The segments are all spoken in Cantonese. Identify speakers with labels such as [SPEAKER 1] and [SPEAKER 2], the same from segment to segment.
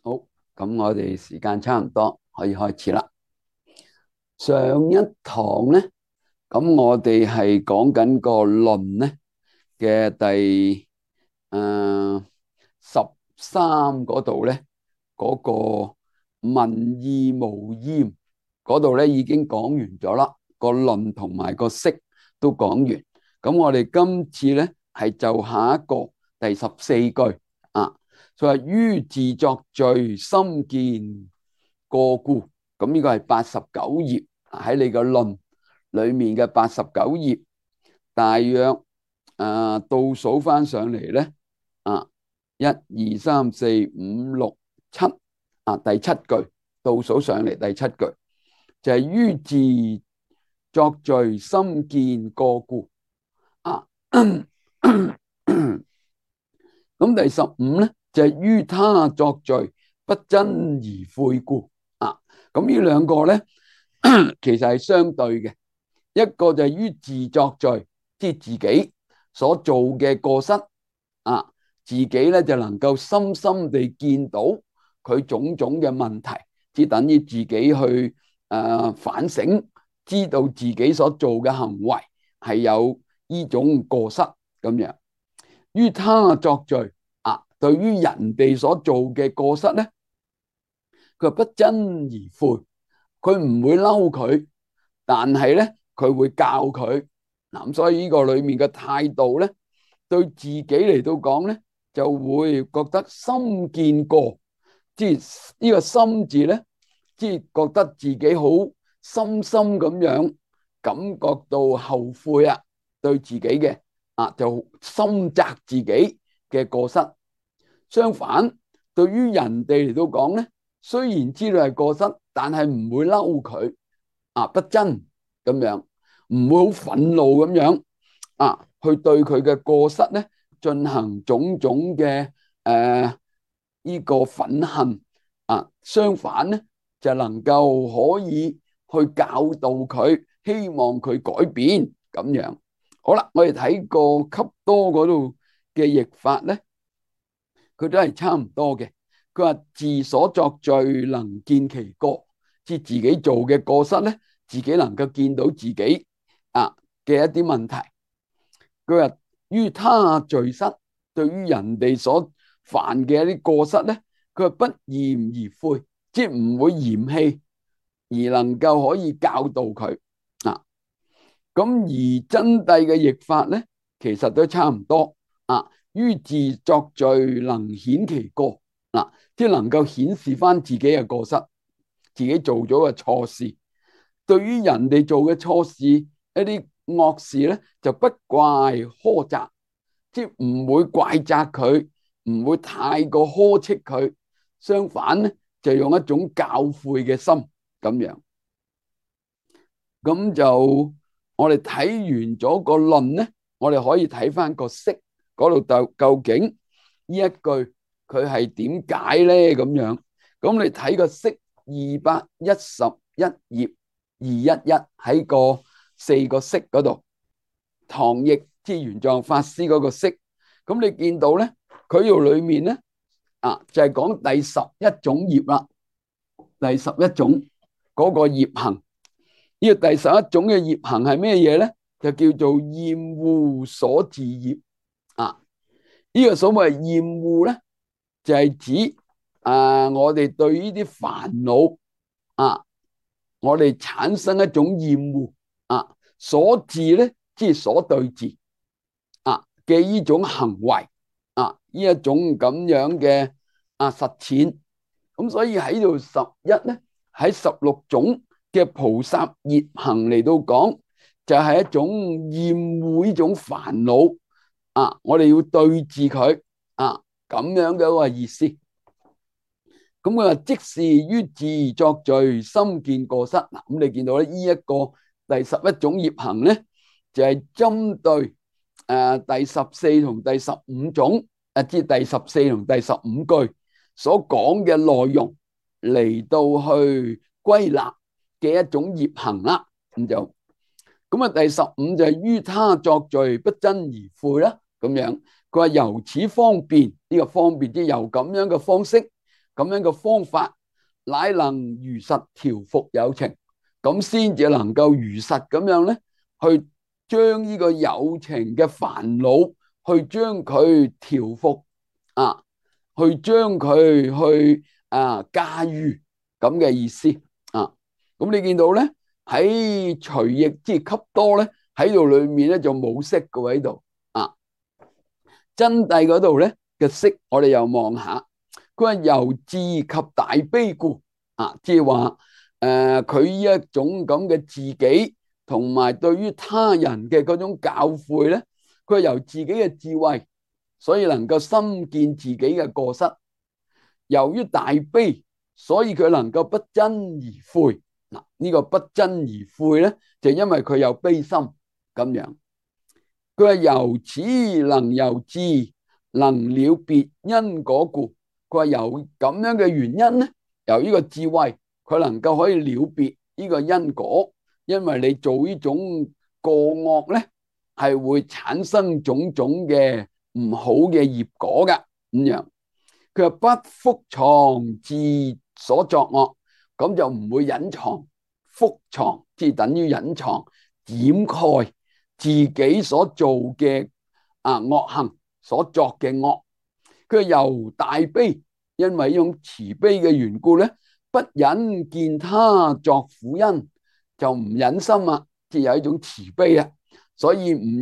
[SPEAKER 1] 好，咁我哋時間差唔多，可以開始啦。上一堂咧，咁我哋係講緊個論咧嘅第13嗰度咧，嗰個文義無厭嗰度咧已經講完咗啦，個論同埋個釋都講完。咁我哋今次咧係就下一個第14句啊。佢話於自作罪，心見過故。咁呢個係89頁喺你個論裏面嘅89頁，大約倒數翻上嚟咧1、2、3、4、5、6、7第七句倒數上嚟第七句就係於自作罪，心見過故啊。咁第15咧就係於他作罪，不真而悔故啊。咁呢兩個咧其實係相對嘅，一個就係於自作罪，即係自己所做嘅過失啊，自己咧就能夠深深地見到佢種種嘅問題，即係等於自己去反省，知道自己所做嘅行為係有呢種過失咁樣。於他作罪對於人哋所做嘅過失咧，佢不真而悔，佢唔會嬲佢，但係咧佢會教佢。咁所以呢個裏面嘅態度咧，對自己嚟到講咧，就會覺得心見過，即係呢個心字咧，即係覺得自己好深深咁樣感覺到後悔啊，對自己嘅就深責自己嘅過失。相反，對於人哋嚟到講咧，雖然知道係過失，但係唔會嬲佢不真咁樣，唔會好憤怒咁樣去對佢嘅過失咧進行種種嘅呢個憤恨相反咧就能夠可以去教導佢，希望佢改變咁樣。好啦，我哋睇個給多嗰度嘅譯法咧，佢都係差唔多嘅。佢話自所作罪，能見其過，即係自己做嘅過失咧，自己能夠見到自己嘅一啲問題。佢話於他罪失，對於人哋所犯嘅一啲過失咧，佢話不嫌而悔，即係唔會嫌棄，而能夠可以教導佢咁而真諦嘅譯法咧，其實都差唔多於自作罪，能顯其過即係能夠顯示翻自己嘅過失，自己做咗嘅錯事。對於人哋做嘅錯事，一啲惡事咧，就不怪苛責，即係唔會怪責佢，唔會太過呵斥佢。相反咧，就用一種教誨嘅心咁樣。咁就我哋睇完咗個論咧，我哋可以睇翻個釋嗰度，究竟呢一句佢係點解咧咁樣。咁你睇個釋211頁211喺個4個釋嗰度，唐譯即係玄奘法師嗰個釋。咁你見到咧，佢度裏面咧就係講第11種業啦，第11種嗰個業行。呢個第11種嘅業行係咩嘢咧？就叫做厭惡所自業呢個所謂厭惡咧，就係指我哋對呢啲煩惱我哋產生一種厭惡所自咧，即係所對治嘅呢種行為呢一種咁樣嘅實踐。咁所以喺度11咧，喺16種嘅菩薩業行嚟到講，就係一種厭惡呢種煩惱我哋要對治佢咁樣嘅一個意思。咁佢話即是於自作罪，心見過失。咁你見到咧，呢一個第11種業行咧，就係針對第14同第15種即係第14同第15句所講嘅內容嚟到去歸納嘅一種業行啦。咁第15就係於他作罪，不真而悔啦。咁樣佢話由此方便，呢個方便即係由咁樣嘅方式咁樣嘅方法，乃能如實調伏有情，咁先至能夠如實咁樣咧，去將呢個有情嘅煩惱，去將佢調伏啊，去將佢去駕馭咁嘅意思啊。咁你見到咧喺隨意即係給多咧喺度裏面咧就冇識嘅喺度啊。真諦嗰度咧嘅識，我哋又望下，佢話由自及大悲故啊，即係話佢呢一種咁嘅自己同埋對於他人嘅嗰種教誨咧，佢係由自己嘅智慧，所以能夠深見自己嘅過失。由於大悲，所以佢能夠不爭而悔。嗱，呢個不爭而悔咧，就因為佢有悲心咁樣。佢話由此能由智能了別因果故，佢話有咁樣嘅原因咧，由呢個智慧佢能夠可以了別呢個因果，因為你做呢種過惡咧，係會產生種種嘅唔好嘅業果㗎咁樣。佢話不覆藏自所作惡，咁就唔會隱藏，覆藏即係等於隱藏、掩蓋自己所做嘅惡行，所作嘅惡。佢由大悲，因為呢種慈悲嘅緣故咧，不忍見他作苦因，就唔忍心啊，即係有一種慈悲啊，所以唔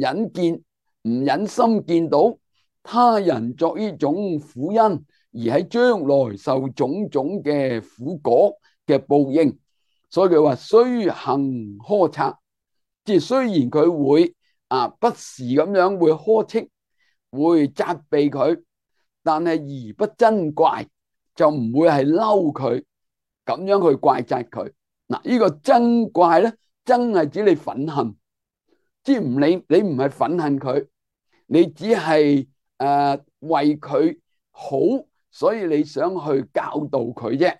[SPEAKER 1] 忍心見到他人作呢種苦因，而喺將來受種種嘅苦果嘅報應。所以佢話雖行呵斥，即係雖然佢會不時咁樣會呵斥，會責備佢，但係而不真怪，就唔會係嬲佢，咁樣去怪責佢。嗱，呢個真怪咧，真係指你憤恨，即係你唔係憤恨佢，你只係為佢好，所以你想去教導佢啫，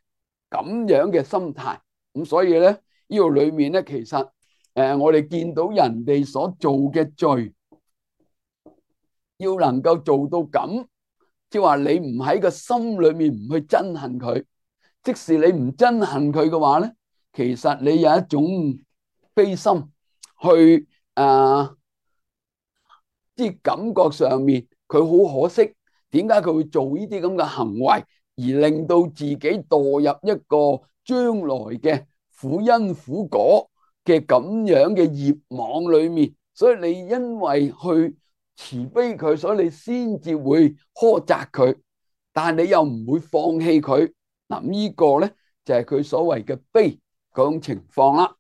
[SPEAKER 1] 咁樣嘅心態。咁所以咧，呢個裏面咧，其實我哋見到人哋所做嘅罪，要能夠做到咁，即係話你唔喺個心裏面唔去憎恨佢，即使你唔憎恨佢嘅話咧，其實你有一種悲心去即係感覺上面佢好可惜，點解佢會做呢啲咁嘅行為，而令到自己墮入一個將來嘅苦因苦果嘅咁樣嘅業網裏面。所以你因為去慈悲佢，所以你先至會苛責佢，但係你又唔會放棄佢。嗱，呢個咧就係佢所謂嘅悲嗰種情況啦。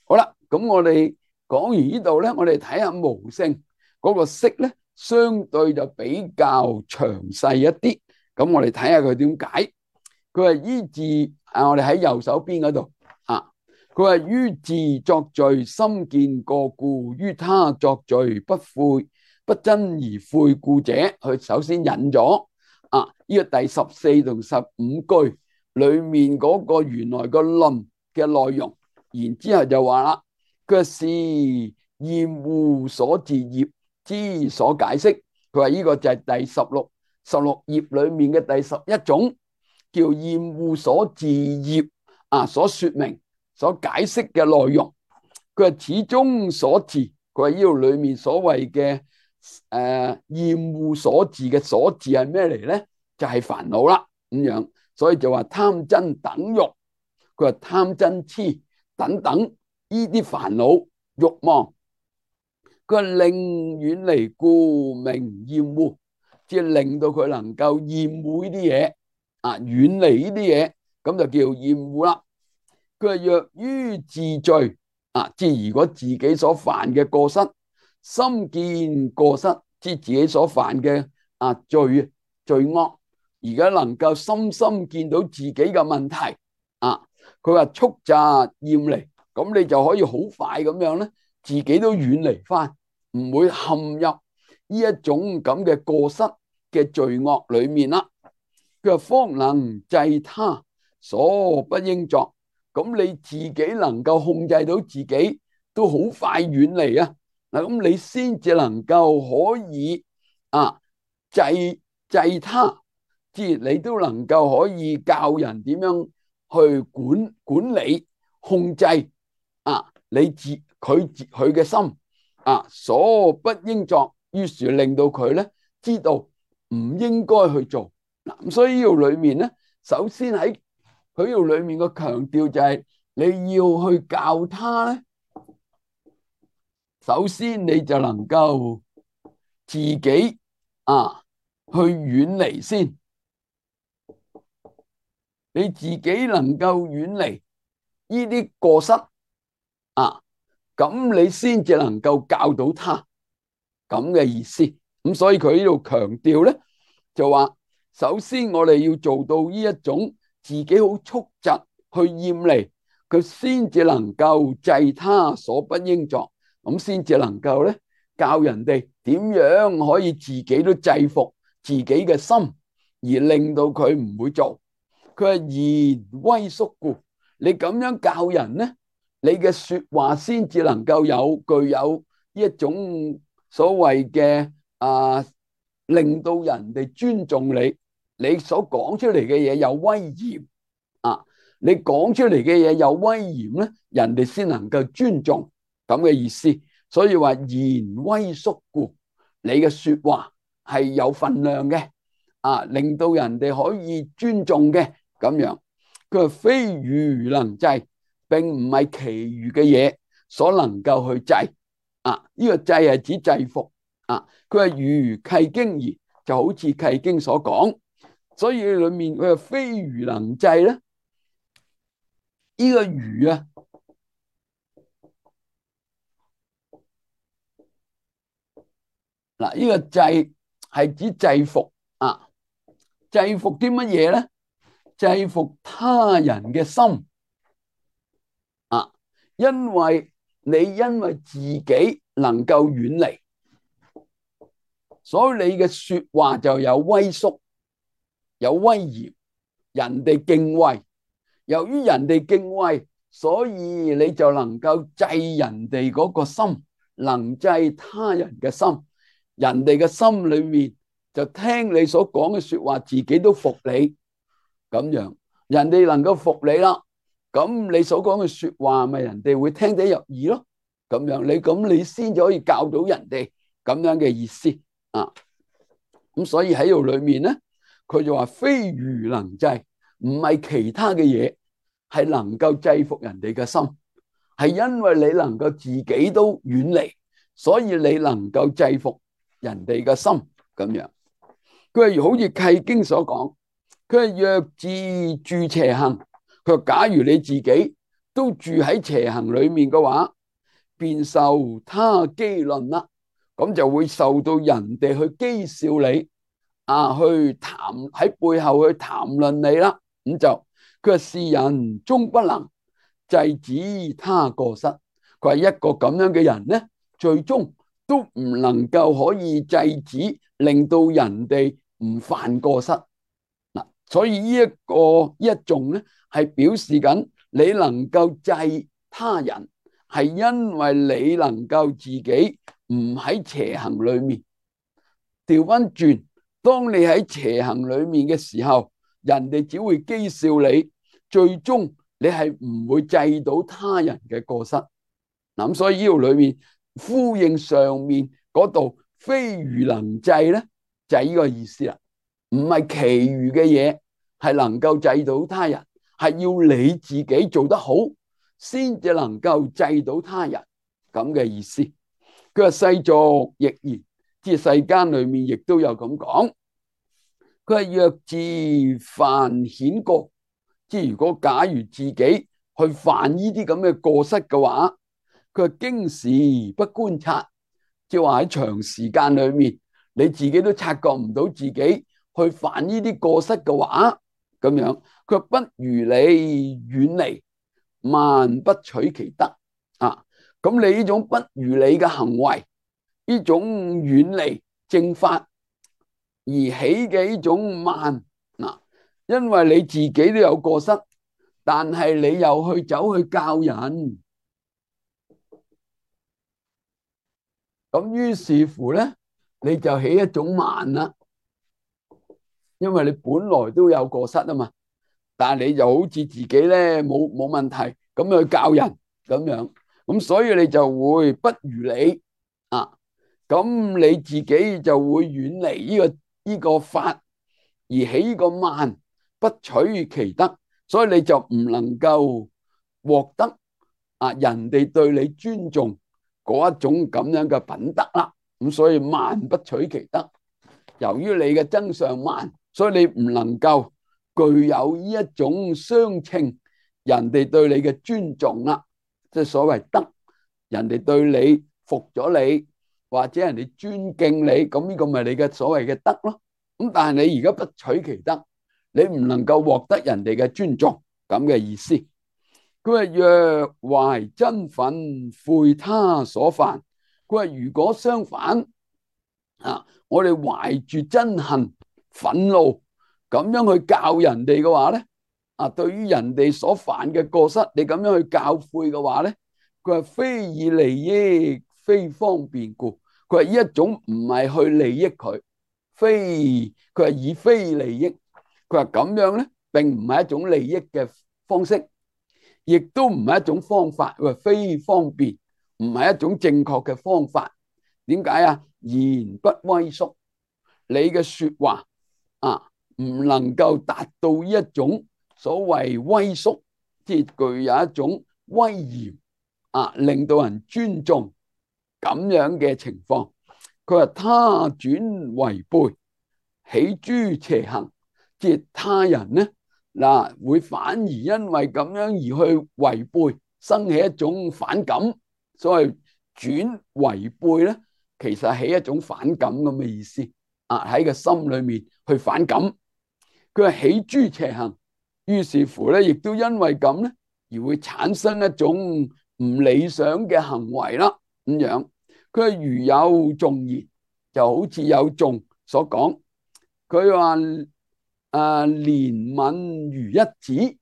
[SPEAKER 1] 好啦，咁我哋講完呢度咧，我哋睇下無性嗰個釋咧，相對就比較詳細一啲。咁我哋睇下佢點解。佢話於自我哋喺右手邊嗰度佢話於自作罪深見過故，於他作罪不爭而悔故者，佢首先引咗呢個第14同15句裏面嗰個原來個論嘅內容，然之後就話啦，佢是厭惡所自業之所解釋。佢話呢個就係第16頁裏面嘅第11種，叫厭惡所自業所說明所解釋嘅內容。佢話始終所自，佢話呢度裏面所謂嘅厭惡所自嘅所自係咩嚟咧？就係煩惱啦咁樣。所以就話貪嗔等欲，佢話貪嗔痴等等呢啲煩惱欲望，佢話令遠離故名厭惡，即係令到佢能夠厭惡呢啲嘢遠離呢啲嘢，咁就叫厭惡啦。佢話若於自罪即係如果自己所犯嘅過失，深見過失，即係自己所犯嘅罪惡，而家能夠深深見到自己嘅問題佢話速疾厭離，咁你就可以好快咁樣咧，自己都遠離翻，唔會陷入呢一種咁嘅過失嘅罪惡裏面啦。佢話方能制他所不應作，咁你自己能夠控制到自己，都好快遠離嗱，咁你先至能夠可以制他即係你都能夠可以教人點樣去管理、控制佢嘅心所不應作，於是令到佢咧知道唔應該去做嗱。咁所以呢度裏面咧，首先喺佢呢度裏面個強調就係你要去教他咧，首先你就能夠自己去遠離先，你自己能夠遠離呢啲過失咁你先至能夠教到他咁嘅意思。咁所以佢呢度強調咧，就話首先我哋要做到呢一種自己好速疾去厭離，佢先至能夠制他所不應作，咁先至能夠咧教人哋點樣可以自己都制服自己嘅心，而令到佢唔會做。佢係言威縮故，你咁樣教人咧，你嘅說話先至能夠具有一種所謂嘅令到人哋尊重你，你所講出嚟嘅嘢有威嚴你講出嚟嘅嘢有威嚴咧，人哋先能夠尊重咁嘅意思。所以話言威縮故，你嘅說話係有分量嘅令到人哋可以尊重嘅咁樣。佢話非愚能制，並唔係其餘嘅嘢所能夠去制呢個制係指制服佢係如契經義，就好似契經所講。所以裏面佢係非愚能制咧，呢個愚呢個制係指制服制服啲乜嘢咧？制服他人嘅心因為自己能夠遠離，所以你嘅說話就有威縮、有威嚴，人哋敬畏。由於人哋敬畏，所以你就能夠制人哋嗰個心，能制他人嘅心。人哋嘅心裏面就聽你所講嘅說話，自己都服你咁樣。人哋能夠服你啦，咁你所講嘅說話咪人哋會聽得入耳咯。咁樣你先至可以教到人哋咁樣嘅意思咁所以喺度裏面咧，佢就話非愚能制，唔係其他嘅嘢係能夠制服人哋嘅心，係因為你能夠自己都遠離，所以你能夠制服人哋嘅心咁樣。佢係好似契經所講，佢係若自住邪行，佢話假如你自己都住喺邪行裏面嘅話，便受他譏論啦，咁就會受到人哋去譏笑你去喺背後去談論你啦。咁就佢話是人終不能制止他過失，佢話一個咁樣嘅人咧，最終都唔能夠可以制止，令到人哋唔犯過失所以呢一種咧，係表示緊你能夠制他人，係因為你能夠自己唔喺邪行裏面。調翻轉，當你喺邪行裏面嘅時候，人哋只會譏笑你，最終你係唔會制到他人嘅過失。咁所以呢度裏面呼應上面嗰度非愚能制咧，就係呢個意思啦。唔係其餘嘅嘢係能夠制到他人，係要你自己做得好先至能夠制到他人咁嘅意思。佢話世俗亦然，即係世間裏面亦都有咁講。佢係若自犯顯過，即係如果假如自己去犯呢啲咁嘅過失嘅話，佢係經時不觀察，即係話喺長時間裏面你自己都察覺唔到自己去犯呢啲過失嘅話，咁樣佢不如你遠離，萬不取其德咁你呢種不如你嘅行為，呢種遠離正法而起嘅呢種慢因為你自己都有過失，但係你又走去教人，咁於是乎咧，你就起一種慢啦。因為你本來都有過失啊嘛，但係你就好似自己咧冇問題咁去教人咁樣，咁所以你就會不如理啊，咁你自己就會遠離呢個法，而起個慢，不取其德，所以你就唔能夠獲得人哋對你尊重嗰一種咁樣嘅品德啦。咁所以慢不取其德，由於你嘅增上慢，所以你唔能夠具有呢一種相稱人哋對你嘅尊重啦，即係所謂德，人哋對你服咗你，或者人哋尊敬你，咁呢個咪你嘅所謂嘅德咯。咁但係你而家不取其德，你唔能夠獲得人哋嘅尊重咁嘅意思。佢話若懷真憤悔他所犯，佢話如果相反我哋懷住憎恨憤怒咁樣去教人哋嘅話咧，對於人哋所犯嘅過失，你咁樣去教誨嘅話咧，佢話非以利益非方便故，佢話呢一種唔係去利益佢，佢係以非利益，佢話咁樣咧，並唔係一種利益嘅方式，亦都唔係一種方法，佢話非方便，唔係一種正確嘅方法。點解啊？言不威縮，你嘅說話唔能夠達到呢一種所謂威縮，即係具有一種威嚴令到人尊重咁樣嘅情況。佢話他轉違背，起諸邪行，即係他人呢會反而因為咁樣而去違背，生起一種反感。所謂轉違背咧，其實係一種反感咁嘅意思喺個心裏面去反感。佢係起諸邪行，於是乎咧，亦都因為咁咧，而會產生一種唔理想嘅行為啦。咁樣，佢係如有頌言，就好似有頌所講，佢話憐憫如一子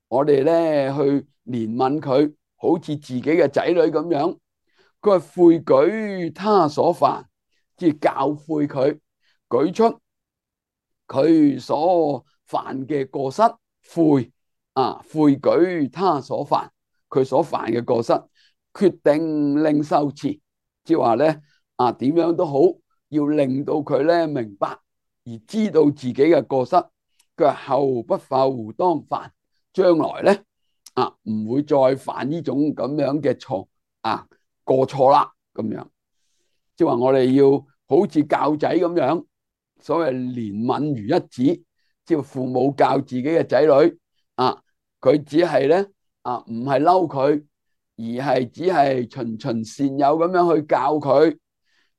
[SPEAKER 1] 我哋咧去憐憫佢，好似自己嘅仔女咁樣。佢係悔舉他所犯，即係教誨佢，舉出佢所犯嘅過失，悔舉他所犯，佢所犯嘅過失，決定令受持，即係話咧點樣都好，要令到佢咧明白而知道自己嘅過失。佢話後不復當犯，將來咧唔會再犯呢種咁樣嘅錯過錯啦。咁樣即係話我哋要好似教仔咁樣，所謂憐憫如一子，即係父母教自己嘅仔女佢只係咧唔係嬲佢，而係只係循循善誘咁樣去教佢。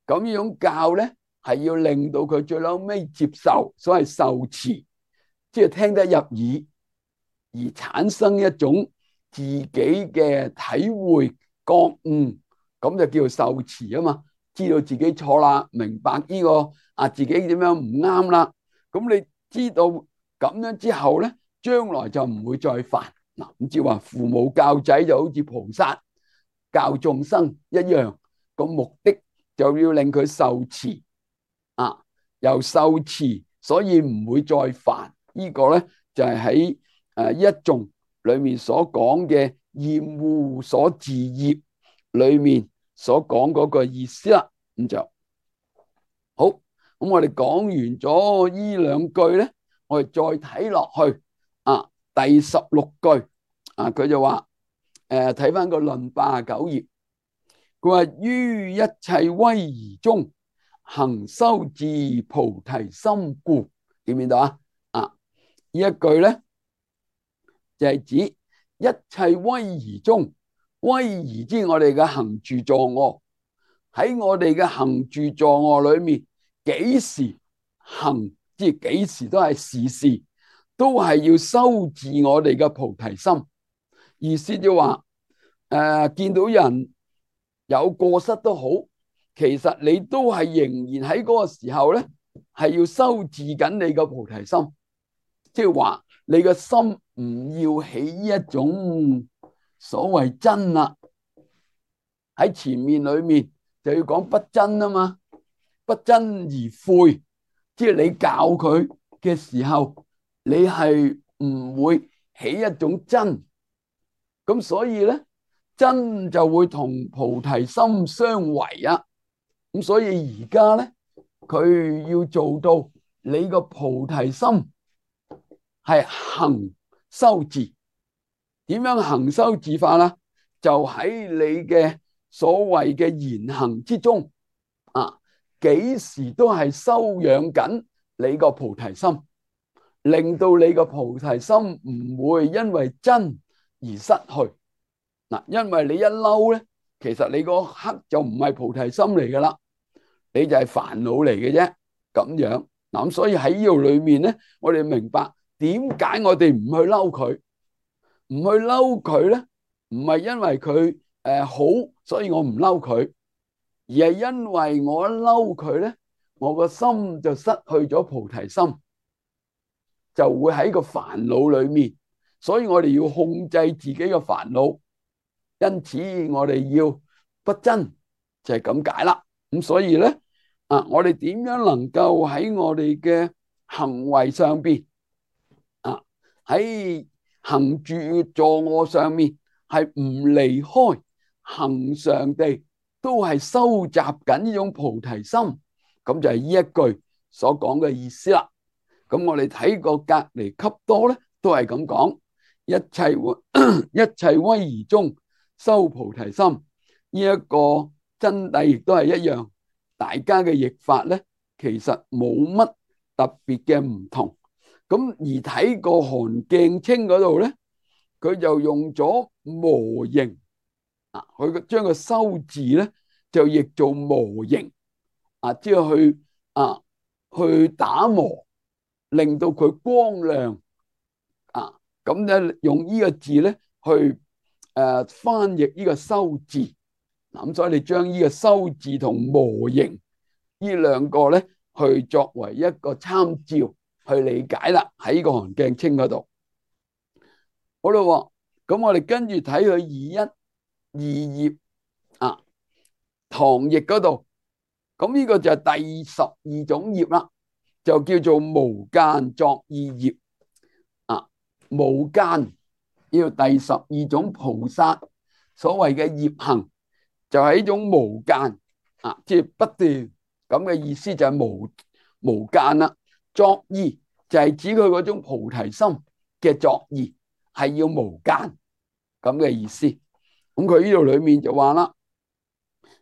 [SPEAKER 1] 咁呢種教咧係要令到佢最後尾接受，所謂受持，即係聽得入耳，而產生一種自己嘅體會覺悟，咁就叫做受持啊嘛。知道自己錯啦，明白呢個自己點樣唔啱啦。咁你知道咁樣之後咧，將來就唔會再犯嗱。咁即係話父母教仔就好似菩薩教眾生一樣，個目的就要令佢受持由受持，所以唔會再犯。呢個咧就係喺一頌裏面所講嘅厭惡所自業裏面所講嗰個意思啦。咁就好，咁我哋講完咗呢兩句咧，我哋再睇落去第16句佢就話睇翻個論89頁，佢話於一切威儀中行修自菩提心故，見唔見到呢一句咧就係指一切威儀中，威儀即係我哋嘅行住坐臥，喺我哋嘅行住坐臥裏面，幾時行，即係幾時都係時時都係要修治我哋嘅菩提心。意思就話見到人有過失都好，其實你都係仍然喺嗰個時候咧，係要修治緊你嘅菩提心，即係話你嘅心唔要起一種所謂真啦。喺前面裏面就要講不真啊嘛，不真而悔，即即係你教佢嘅時候，你係唔會起一種真，咁所以咧真就會同菩提心相違啊。咁所以而家咧佢要做到你個菩提心係行修治，點樣行修治法啦？就喺你嘅所謂嘅言行之中啊，幾時都係修養緊你個菩提心，令到你個菩提心唔會因為真而失去嗱。因為你一嬲咧，其實你嗰刻就唔係菩提心嚟噶啦，你就係煩惱嚟嘅啫。咁樣嗱，咁所以喺呢度裏面咧，我哋明白點解我哋唔去嬲佢，唔去嬲佢咧，唔係因為佢好，所以我唔嬲佢，而係因為我一嬲佢咧，我個心就失去咗菩提心，就會喺個煩惱裏面，所以我哋要控制自己嘅煩惱，因此我哋要不爭，就係咁解啦。咁所以咧我哋點樣能夠喺我哋嘅行為上邊喺行住坐臥上面係唔離開恆常地都係收集緊呢種菩提心，咁就係呢一句所講嘅意思啦。咁我哋睇過隔離笈多咧，都係咁講，一切威儀中修菩提心。呢一個真諦亦都係一樣，大家嘅譯法咧，其實冇乜特別嘅唔同。咁而睇過韓鏡清嗰度咧，佢就用咗磨形佢將個修字咧就譯做磨形即係去打磨，令到佢光亮咁咧用呢個字咧去翻譯呢個修字。咁所以你將呢個修字同磨形呢兩個咧去作為一個參照去理解啦。喺呢個韓鏡清嗰度好啦，咁我哋跟住睇佢二頁唐譯嗰度，咁呢個就係第12種業啦，就叫做無間作意業無間呢個第12種菩薩所謂嘅業行，就係一種無間即係不斷咁嘅意思，就係無間啦。作意就係指佢嗰種菩提心嘅作意係要無間咁嘅意思。咁佢呢度裏面就話啦，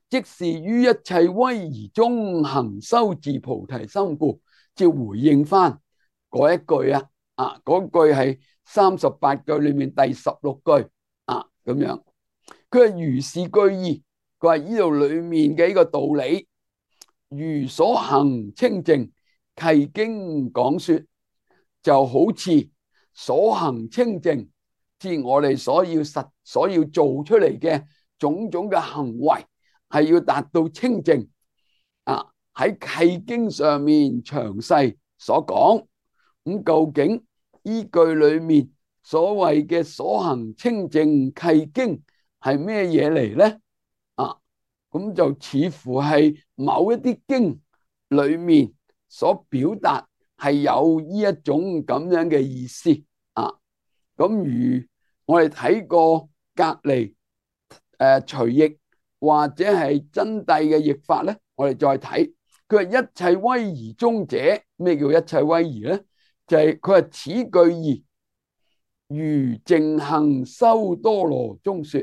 [SPEAKER 1] 即是於一切威儀中行修治菩提心故，照回應翻嗰一句嗰句係38句裏面第16句咁樣。佢係如是據意，佢話呢度裏面嘅呢個道理，如所行清淨契經講說，就好似所行清淨，即係我哋所要做出嚟嘅種種嘅行為，係要達到清淨喺契經上面詳細所講。咁究竟依句裏面所謂嘅所行清淨契經係咩嘢嚟咧？咁就似乎係某一啲經裏面所表達係有呢一種咁樣嘅意思咁如我哋睇過隔離隨譯或者係真諦嘅譯法咧，我哋再睇佢係一切威儀中者。咩叫一切威儀咧？就係佢係此句義如淨行修多羅中說，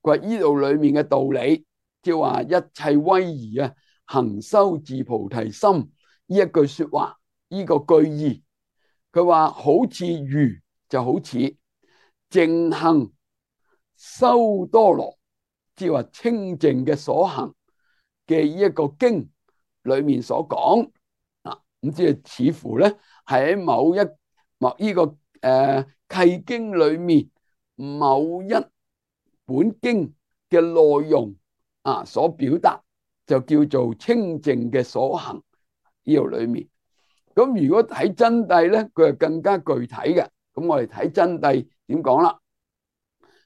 [SPEAKER 1] 佢係呢度裏面嘅道理，即係話一切威儀行修治菩提心呢一句說話，呢個句義，佢話好似如就好似淨行修多羅，即係話清淨嘅所行嘅呢一個經裏面所講咁即係似乎咧係喺某呢個契經裏面某一本經嘅內容所表達，就叫做清淨嘅所行呢度裏面。咁如果睇真諦咧，佢係更加具體嘅。咁我哋睇真諦點講啦？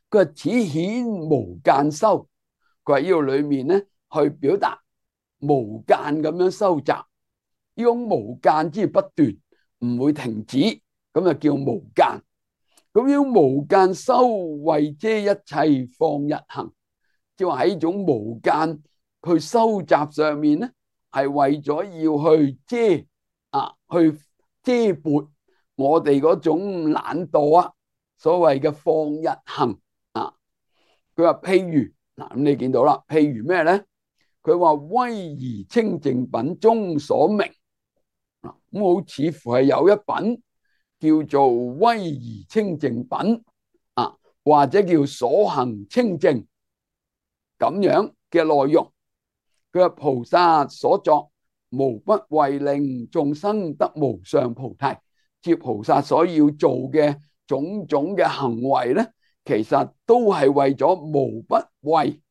[SPEAKER 1] 佢係此顯無間修，佢喺呢度裏面咧去表達無間咁樣收集呢種無間之不斷，唔會停止，咁就叫無間。咁呢種無間修為遮一切放逸行，即係話喺呢種無間去收集上面咧，係為咗要去去遮撥我哋嗰種懶惰啊，所謂嘅放逸行啊。佢話譬如嗱，咁你見到啦，譬如咩咧？佢話威儀清淨品中所明，咁好似乎係有一品叫做威儀清淨品啊，或者叫所行清淨咁樣嘅內容。佢話菩薩所作無不為令眾生得無上菩提，即菩薩所要做嘅種種嘅行為咧，其實都係為咗無不為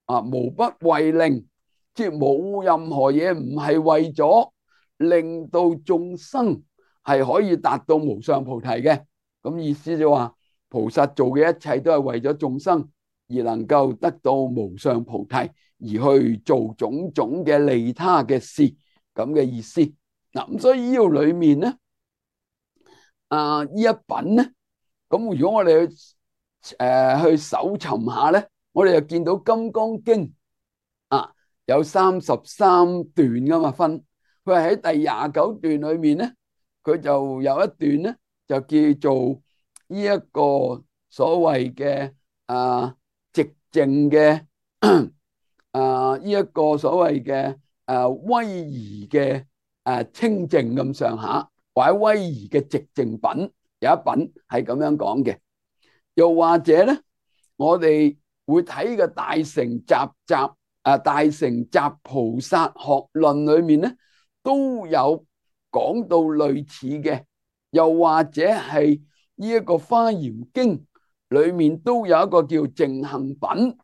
[SPEAKER 1] 無不為令。即係冇任何嘢唔係為咗令到眾生係可以達到無上菩提嘅。咁意思就話菩薩做嘅一切都係為咗眾生而能夠得到無上菩提，而去做種種嘅利他嘅事，咁嘅意思。嗱，咁所以呢度裏面咧，呢一品咧，咁如果我哋去搜尋下咧，我哋就見到《金剛經》有33段噶嘛，分佢係喺第29段裏面咧，佢就有一段咧就叫做呢一個所謂嘅寂靜嘅呢一個所謂嘅威儀嘅清淨咁上下，或者威儀嘅寂靜品，有一品係咁樣講嘅。又或者咧，我哋會睇嘅大乘大乘集菩薩學論裏面咧，都有講到類似嘅。又或者係呢一個華嚴經裏面都有一個叫淨行品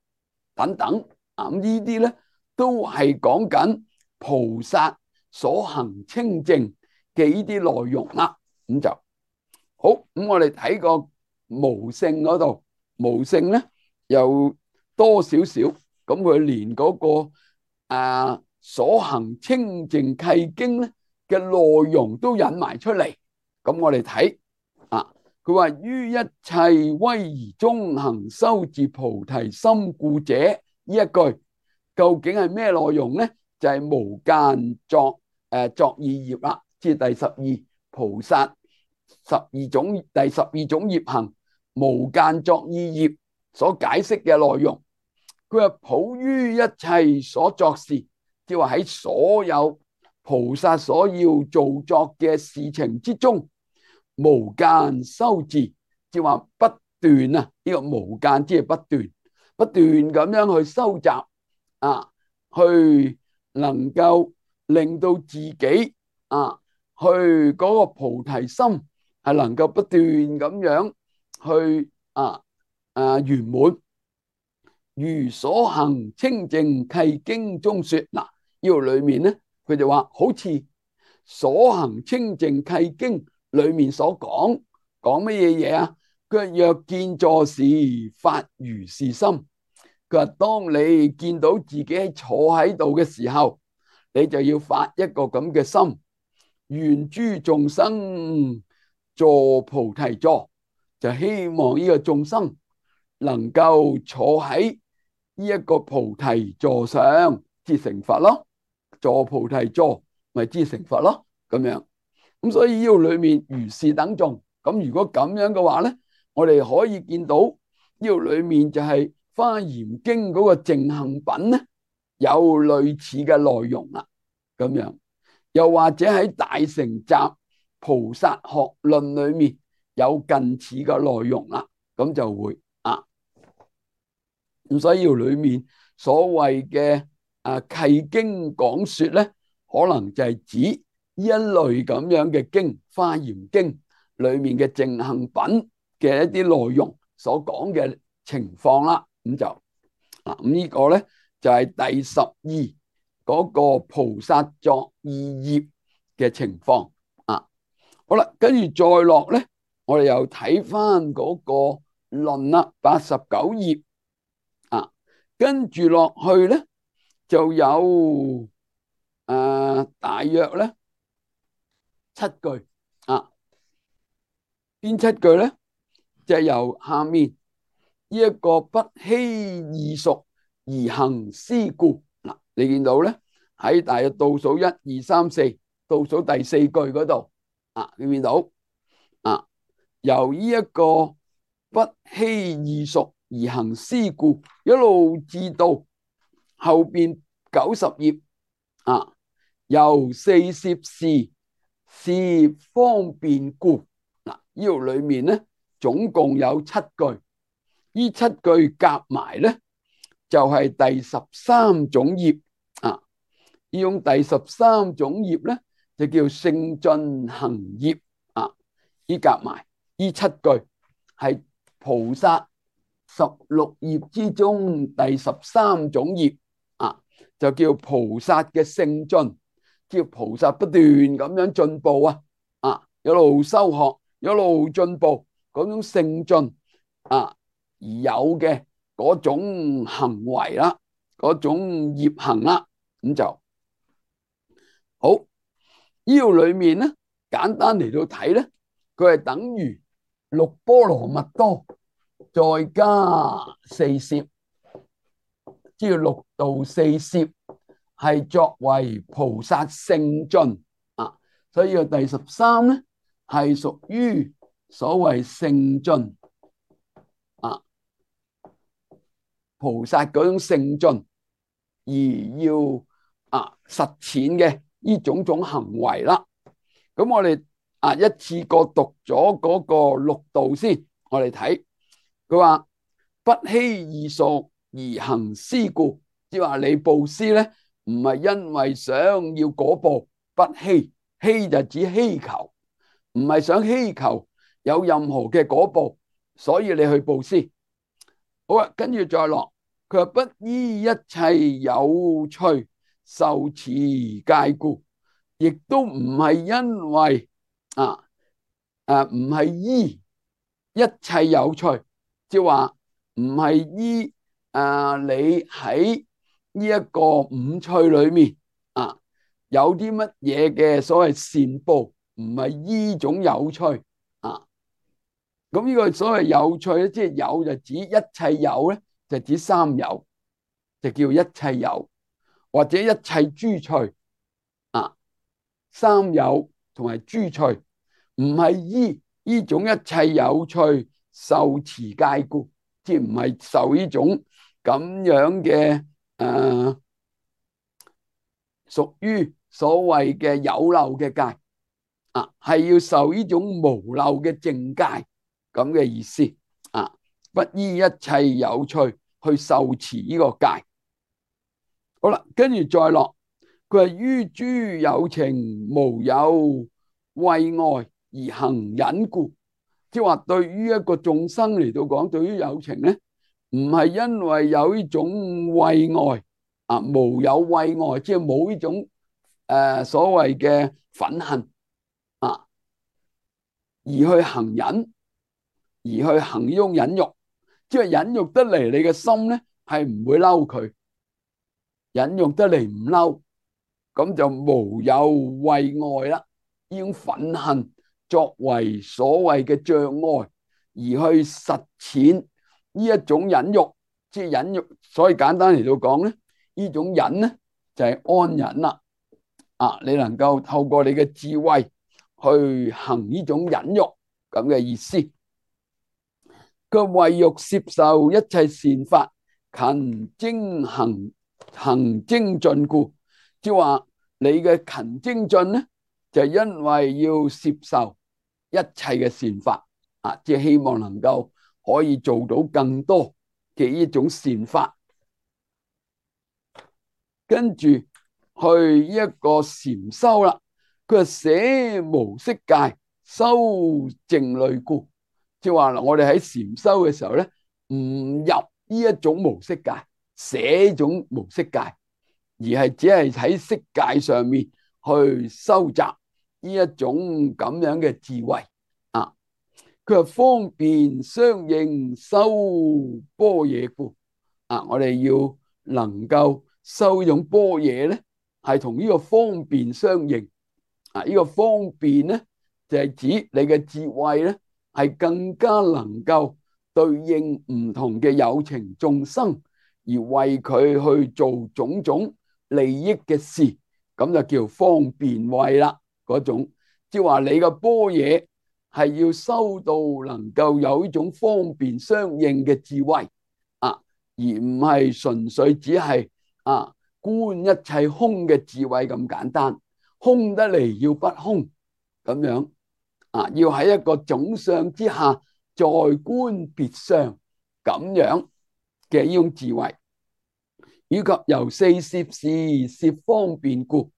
[SPEAKER 1] 等等。咁呢啲咧都係講緊菩薩所行清淨嘅呢啲內容啦。咁就好。咁我哋睇個無性嗰度，無性咧又多少少。咁佢連嗰個所行清淨契經咧嘅內容都引埋出嚟。咁我哋睇佢話於一切威儀中行修自菩提心故者，呢一句究竟係咩內容咧？就係無間作意業啦，即係第12菩薩第12種業行無間作意業所解釋嘅內容。佢話普於一切所作事，即係話喺所有菩薩所要做作嘅事情之中，無間修自，即係話不斷呢個無間即係不斷咁樣去收集去能夠令到自己去嗰個菩提心係能夠不斷咁樣去圓滿。如所行清淨契經中說，嗱，呢度裏面咧，佢就話好似所行清淨契經裏面所講乜嘢啊？佢話若見坐時發如是心，佢話當你見到自己坐喺度嘅時候，你就要發一個咁嘅心，願諸眾生坐菩提座，就希望呢個眾生能夠坐喺呢一個菩提座上，至成佛咯。坐菩提座咪至成佛咯，咁樣。咁所以呢度裏面如是等眾。咁如果咁樣嘅話咧，我哋可以見到呢度裏面就係華嚴經嗰個淨行品咧，有類似嘅內容啦，咁樣。又或者喺大乘集菩薩學論裏面有近似嘅內容啦，咁就會咁所以呢度裏面所謂嘅契經講說咧，可能就係指呢一類咁樣嘅經，華嚴經裏面嘅淨行品嘅一啲內容所講嘅情況啦。咁就咁呢個咧就係第12嗰個菩薩作意業嘅情況。好啦，跟住再落咧，我哋又睇翻嗰個論啦，89頁。跟住落去咧，就有大約咧句啊。邊七句咧？就係由下面呢一個不欺異熟而行思故嗱，你見到咧喺大約倒數1、2、3、4倒數第4句嗰度啊，你見到啊？由呢一個不欺異熟而行思故，一路至到後邊90頁啊，由四攝是方便故嗱，呢度裏面咧總共有7句，呢7句夾埋咧就係第13種業啊。呢種第13種業咧就叫勝進行業啊。呢夾埋呢7句係菩薩16業之中第13種業啊，就叫菩薩嘅勝進，叫菩薩不斷咁樣進步啊，一路修學，一路進步，嗰種勝進啊而有嘅嗰種行為啦，嗰種業行啦，咁就好。呢度裏面咧，簡單嚟到睇咧，佢係等於6波羅蜜多再加4攝，即係6度4攝，係作為菩薩勝進啊。所以個第13咧係屬於所謂勝進啊，菩薩嗰種勝進而要實踐嘅呢種行為啦。咁我哋一次過讀咗嗰個6度先，我哋睇佢話不欺異熟而行思故，即係話你布施咧唔係因為想要果報，不欺，欺就指希求，唔係想希求有任何嘅果報，所以你去布施。好啊，跟住再落，佢話不依一切有趣受持戒故，亦都唔係因為唔係依一切有趣，即係話唔係依你喺呢一個五趣裏面有啲乜嘢嘅所謂善報，唔係依種有趣啊。咁呢個所謂有趣咧，即係有就指一切有咧，就指三有，就叫一切有或者一切諸趣三有同埋諸趣，唔係依呢種一切有趣受持戒故，即係唔係受呢種咁樣嘅屬於所謂嘅有漏嘅戒係要受呢種無漏嘅淨戒咁嘅意思不依一切有趣去受持呢個戒。好啦，跟住再落，佢係於諸有情無有慧愛而行忍故，即係話對於一個眾生嚟到講，對於有情咧，唔係因為有呢種慧愛無有慧愛，即係冇呢種所謂嘅憤恨而去行忍，而去行呢種忍辱，即係忍辱得嚟，你嘅心咧係唔會嬲佢，忍辱得嚟唔嬲，咁就無有慧愛啦。呢種憤恨作為所謂嘅障礙，而去實踐呢一種忍辱，即係忍辱。所以簡單嚟到講咧，呢種忍咧就係安忍啦。你能夠透過你嘅智慧去行呢種忍辱咁嘅意思。佢為欲攝受一切善法，勤精行精進故，即係話你嘅勤精進咧，就係因為要攝受一切嘅善法即係希望能夠可以做到更多嘅呢種善法。跟住去一個禪修啦，佢係捨無色界，修靜慮故，即係話我哋喺禪修嘅時候咧，唔入呢一種無色界，捨種無色界，而係只係喺色界上面去收集呢一種咁樣嘅智慧佢係方便相應修般若故我哋要能夠修呢種般若咧，係同呢個方便相應呢個方便咧就係指你嘅智慧咧係更加能夠對應唔同嘅有情眾生，而為佢去做種種利益嘅事，咁就叫方便慧啦。嗰種即係話你嘅般若係要修到能夠有呢種方便相應嘅智慧而唔係純粹只係觀一切空嘅智慧咁簡單，空得嚟要不空咁樣要喺一個總相之下再觀別相咁樣嘅呢種智慧，以及由四攝事攝方便故，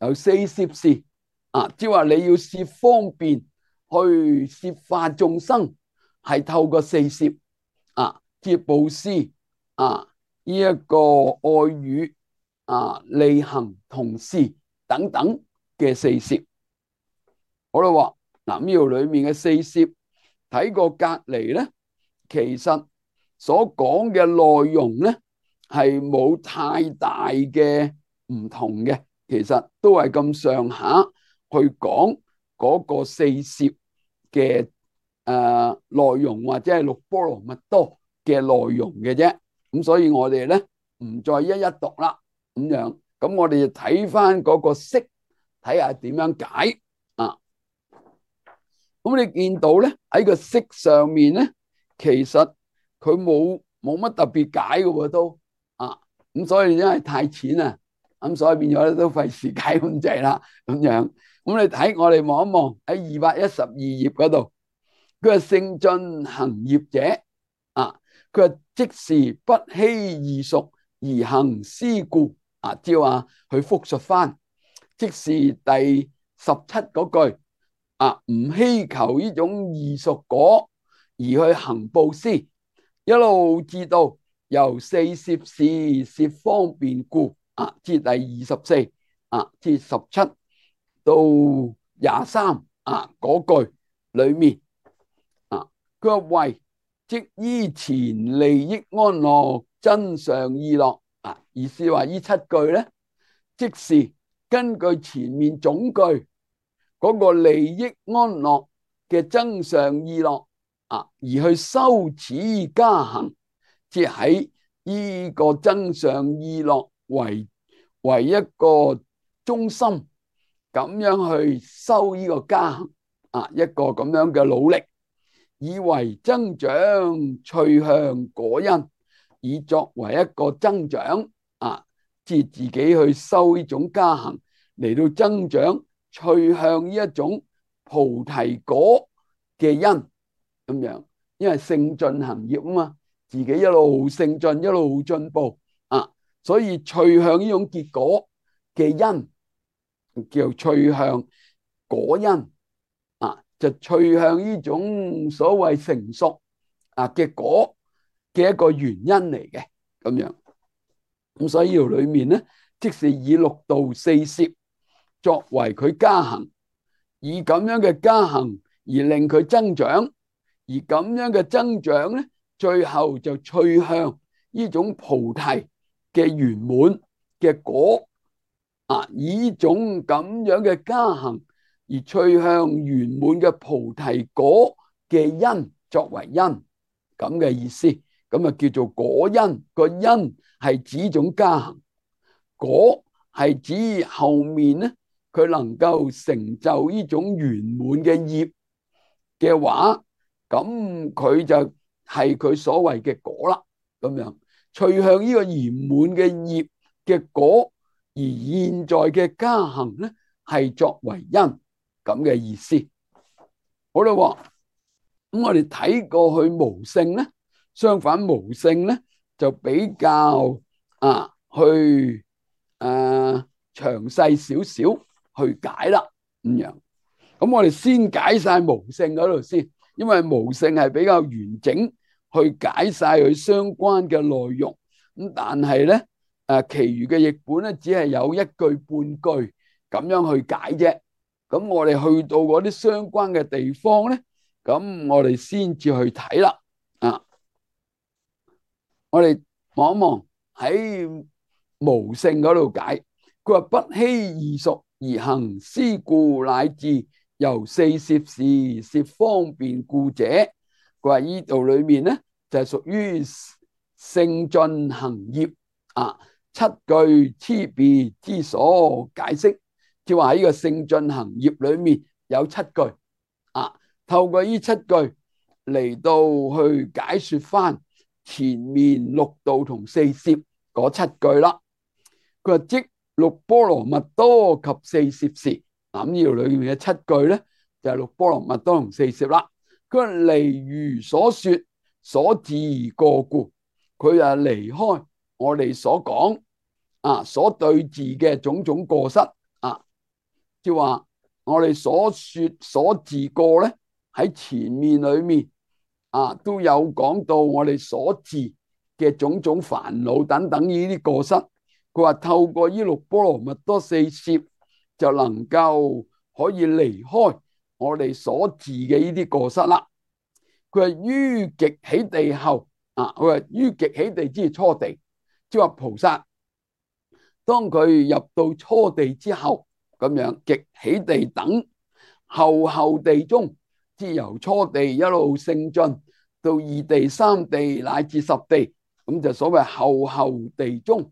[SPEAKER 1] 由四攝事即係話你要攝方便去攝化眾生，係透過四攝即係布施呢一個愛語利行同事等等嘅四攝。好啦，話嗱呢度裏面嘅四攝睇過隔籬咧，其實所講嘅內容咧係冇太大嘅唔同嘅，其實都係咁上下去講嗰個四攝嘅內容，或者係六波羅蜜多嘅內容嘅啫。咁所以我哋咧唔再一一讀啦，咁樣咁我哋就睇翻嗰個釋，睇下點樣解咁你見到咧喺個釋上面咧，其實佢冇乜特別解嘅喎都咁所以因為太淺啦，咁所以變咗都費事解咁滯啦，咁樣咁你睇我哋望一望喺212頁嗰度，佢話勝進行業者佢話即是不欺異熟而行施故即係話佢復述翻，即是第17嗰句唔希求呢種異熟果而去行布施，一路至到由四攝事攝方便故至第24至17到23嗰句裏面佢話為即依前利益安樂真上意樂意思話呢7句咧，即是根據前面總句嗰個利益安樂嘅增上意樂而去修此加行，即喺呢個增上意樂為一個中心，咁樣去修呢個加行一個咁樣嘅努力，以為增長趣向果因，以作為一個增長即自己去修呢種加行嚟到增長趣向呢一種菩提果嘅因咁樣，因為勝進行業嘛，自己一路勝進一路進步所以趣向呢種結果嘅因叫趣向果因就趣向呢種所謂成熟嘅果嘅一個原因嚟嘅咁樣。咁所以呢度裏面咧，即是以六度四攝作為佢加行，以咁樣嘅加行而令佢增長，而咁樣嘅增長咧，最後就趣向呢種菩提嘅圓滿嘅果以呢種咁樣嘅加行而趣向圓滿嘅菩提果嘅因作為因咁嘅意思，咁叫做果因。個因係指種加行，果係指後面咧佢能夠成就呢種圓滿嘅業嘅話，咁佢就係佢所謂嘅果啦。咁樣趣向呢個圓滿嘅業嘅果，而現在嘅加行咧係作為因咁嘅意思。好啦，咁我哋睇過去無性咧，相反無性咧就比較去詳細少少去解啦咁樣。咁我哋先解晒無性嗰度先，因為無性係比較完整去解晒佢相關嘅內容。咁但係咧其餘嘅譯本咧只係有一句半句咁樣去解啫。咁我哋去到嗰啲相關嘅地方咧，咁我哋先至去睇啦我哋望一望喺無性嗰度解，佢話不欺異熟而行思故，乃至由四攝事攝方便故者。佢話呢度裏面咧就係屬於聖進行業七句差別之所解釋，即係話喺呢個聖進行業裏面有七句透過呢七句嚟到去解說翻前面六度同四攝嗰七句啦。佢話即六波羅蜜多及四攝事，咁呢度裏面嘅七句咧就係六波羅蜜多同四攝啦。佢話離如所說所治過故，佢就離開我哋所講所對治嘅種種過失即係話我哋所說所治過咧喺前面裏面都有講到我哋所治嘅種種煩惱等等呢啲過失。佢話透過呢六波羅蜜多四攝就能夠可以離開我哋所治嘅呢啲過失啦。佢話於極起地後佢話於極起地之初地，即係話菩薩當佢入到初地之後咁樣，極起地等後地中，即係由初地一路升進到二地三地乃至十地，咁就所謂後地中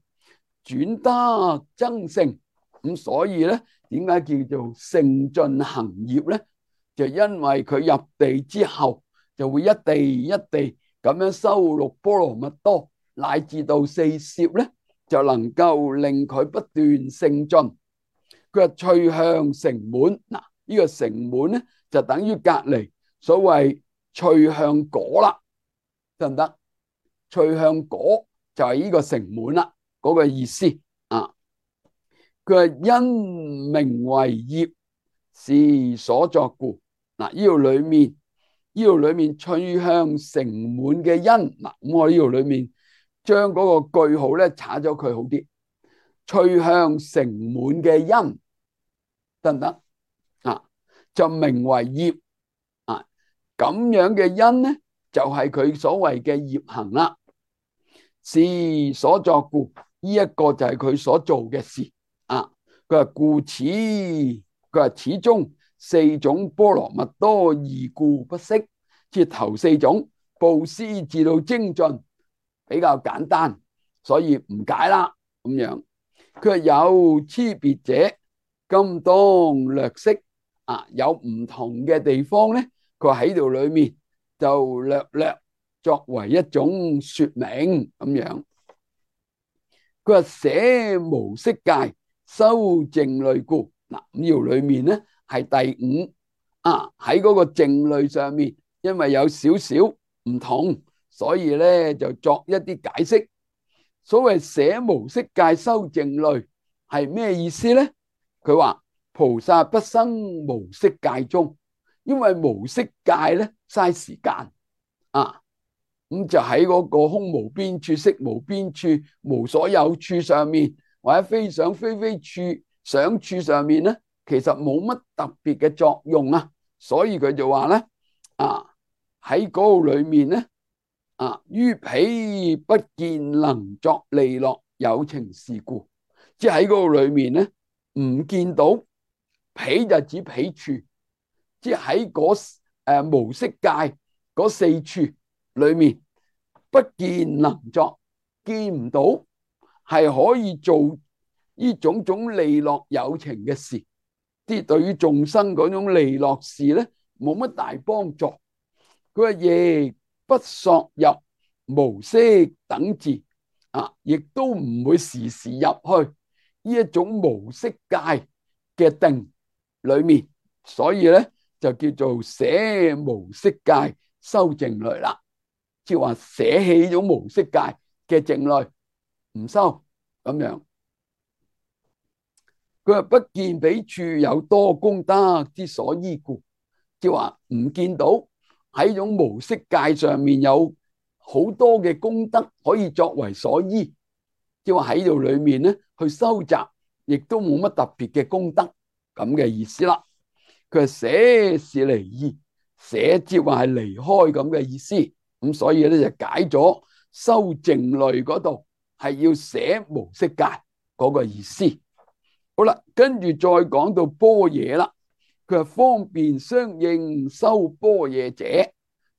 [SPEAKER 1] 轉得增勝。咁所以咧點解叫做聖進行業咧？就因為佢入地之後就會一地一地咁樣修六波羅蜜多乃至到四攝咧，就能夠令佢不斷勝進。佢話趣向成滿，呢個成滿咧就等於隔離所謂趣向果啦，得唔得？趣向果就係呢個成滿啦，嗰個意思佢話因名為業，是所作故。呢度裏面趣向成滿嘅因咁我呢度裏面將嗰個句號咧查咗佢好啲。趣向成滿嘅因得唔得就名為業咁樣嘅因咧就係佢所謂嘅業行啦。是所作故，呢一個就係佢所做嘅事佢話故此，佢話始終四種波羅蜜多異故不息，即係頭四種布施至到精進比較簡單，所以唔解啦咁樣。佢話有差別者，今當略釋有唔同嘅地方咧，佢話喺度裏面就略作為一種說明咁樣。佢話捨無色界修靜慮故，呢度裏面咧係第五喺嗰個靜慮上面，因為有少少唔同，所以咧就作一啲解釋。所謂捨無色界修靜慮係咩意思咧？佢話菩薩不生無色界中，因為無色界咧嘥時間咁就喺嗰個空無邊處、色無邊處、無所有處上面，或者非想非非處、想處上面咧，其實冇乜特別嘅作用所以佢就話咧喺嗰度裏面咧於彼不見能作利樂有情事故，即係喺嗰度裏面咧唔見到彼就指彼處，即係喺嗰無色界嗰四處裏面不見能作，見唔到係可以做呢種種利樂有情嘅事，啲對於眾生嗰種利樂事咧冇乜大幫助。佢話亦不索入無色等治亦都唔會時時入去呢一種無色界嘅定裏面，所以咧就叫做捨無色界修靜慮啦，即係話捨棄咗無色界嘅靜慮唔修咁樣。佢話不見彼處有多功德之所依故，即係話唔見到喺種無色界上面有好多嘅功德可以作為所依，即係話喺度裏面咧去收集，亦都冇乜特別嘅功德咁嘅意思啦。佢話捨是離意，捨即係話係離開咁嘅意思，咁所以咧就解咗修靜慮嗰度係要捨無色界嗰個意思。好啦，跟住再講到般若啦，佢係方便相應修般若者。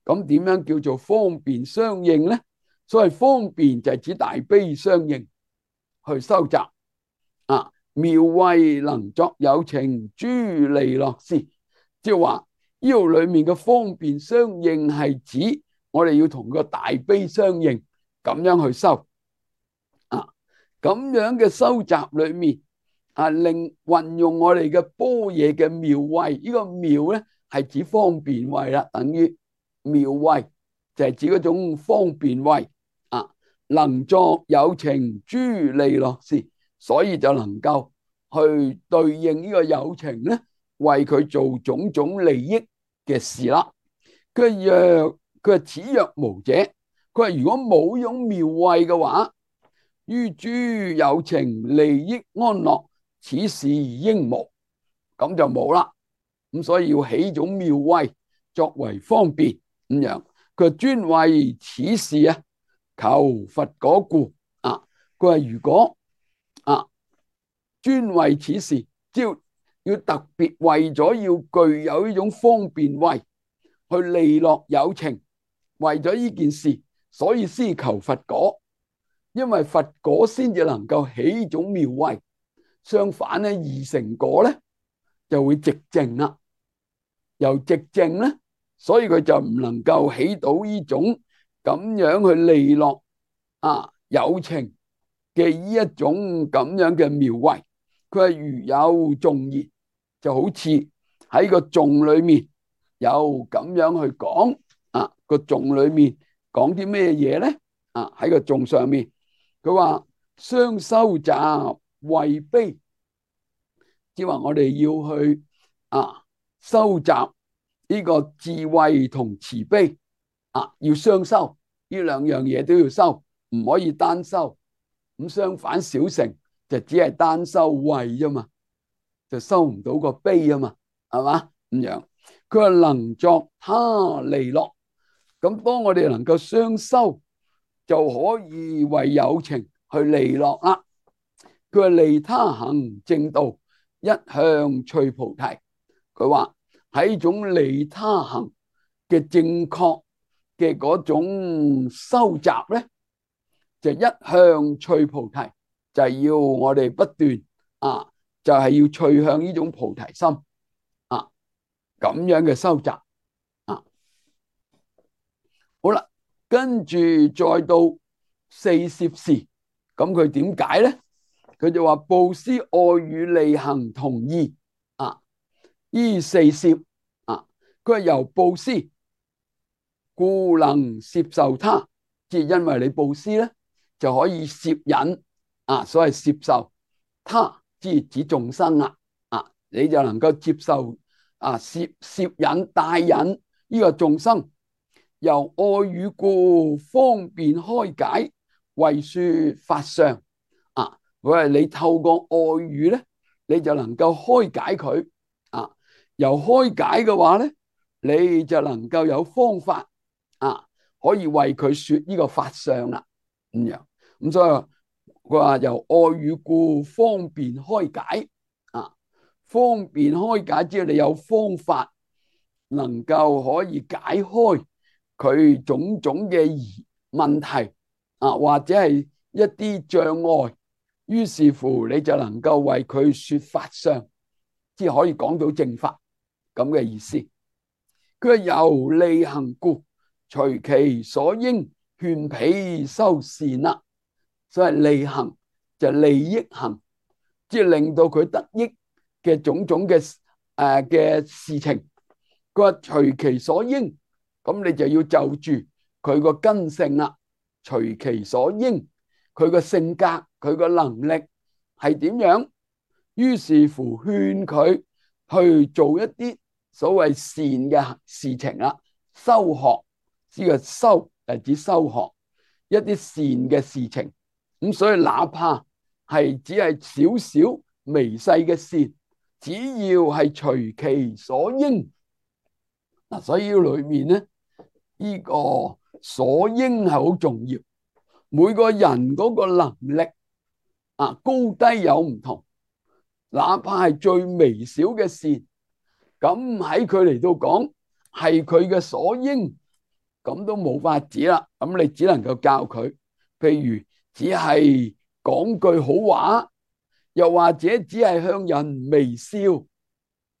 [SPEAKER 1] 咁點樣叫做方便相應咧？所謂方便就係指大悲相應去收集啊，妙慧能作有情諸利樂事，即係話呢度裏面嘅方便相應係指我哋要同個大悲相應，咁樣去修啊，咁樣嘅收集裏面啊，令運用我哋嘅般若嘅妙慧，呢個妙咧係指方便慧啦，等於妙慧就係指嗰種方便慧啊，能作有情諸利樂事，所以就能夠去對應呢個有情咧，為佢做種種利益嘅事啦。佢話此若無者，佢話如果冇用妙慧嘅話，於諸有情利益安樂，此事應無，咁就冇啦。咁所以要起種妙慧作為方便咁樣。佢專為此事啊，求佛果故啊。佢話如果啊專為此事，即要特別為咗要具有呢種方便慧去利樂有情，為咗呢件事，所以先求佛果。因為佛果先至能夠起種妙慧，相反咧，二乘果咧就會寂靜啦。由寂靜咧，所以佢就唔能夠起到呢種咁樣去利樂啊有情嘅呢一種咁樣嘅妙慧。佢係如有頌言，就好似喺個頌裏面有咁樣去講啊。個頌裏面講啲咩嘢咧？啊，喺個頌上面。佢話相收集慧悲，即係話我哋要去收集呢個智慧同慈悲啊，要雙收，呢兩樣嘢都要收，唔可以單收。咁相反，小乘就只係單收慧啫嘛，就收唔到個悲啊嘛，係嘛咁樣。佢話能作他利樂，咁當我哋能夠雙收，就可以為有情去利樂啦。佢話利他行正道，一向趣菩提。佢話喺種利他行嘅正確嘅嗰種收集咧，就一向趣菩提，就係要我哋不斷就係要趣向呢種菩提心咁樣嘅收集好啦。跟住再到四攝事，咁佢點解咧？佢就話布施、愛語、利行同意依四攝佢係由布施故能攝受他，即係因為你布施咧，就可以攝引所謂攝受他，即係指眾生你就能夠接受攝引帶引呢個眾生。由愛語故方便開解，為說法相佢係你透過愛語咧，你就能夠開解佢由開解嘅話咧，你就能夠有方法可以為佢說呢個法相啦咁樣。咁所以佢話由愛語故方便開解方便開解之後，你有方法能夠可以解開佢種種嘅問題或者係一啲障礙，於是乎你就能夠為佢說法相，即係可以講到正法咁嘅意思。佢係由利行故，隨其所應勸彼修善啦。所謂利行就利益行，即係令到佢得益嘅種種嘅事情。佢話隨其所應，咁你就要就住佢個根性啦。隨其所應，佢個性格，佢個能力係點樣，於是乎勸佢去做一啲所謂善嘅事情啦。修學，呢個修係指修學一啲善嘅事情。咁所以哪怕係只係少少微細嘅善，只要係隨其所應所以裏面咧，呢個所應係好重要。每個人嗰個能力高低有唔同，哪怕係最微小嘅善，咁喺佢嚟到講係佢嘅所應，咁都冇法子啦。咁你只能夠教佢，譬如只係講句好話，又或者只係向人微笑，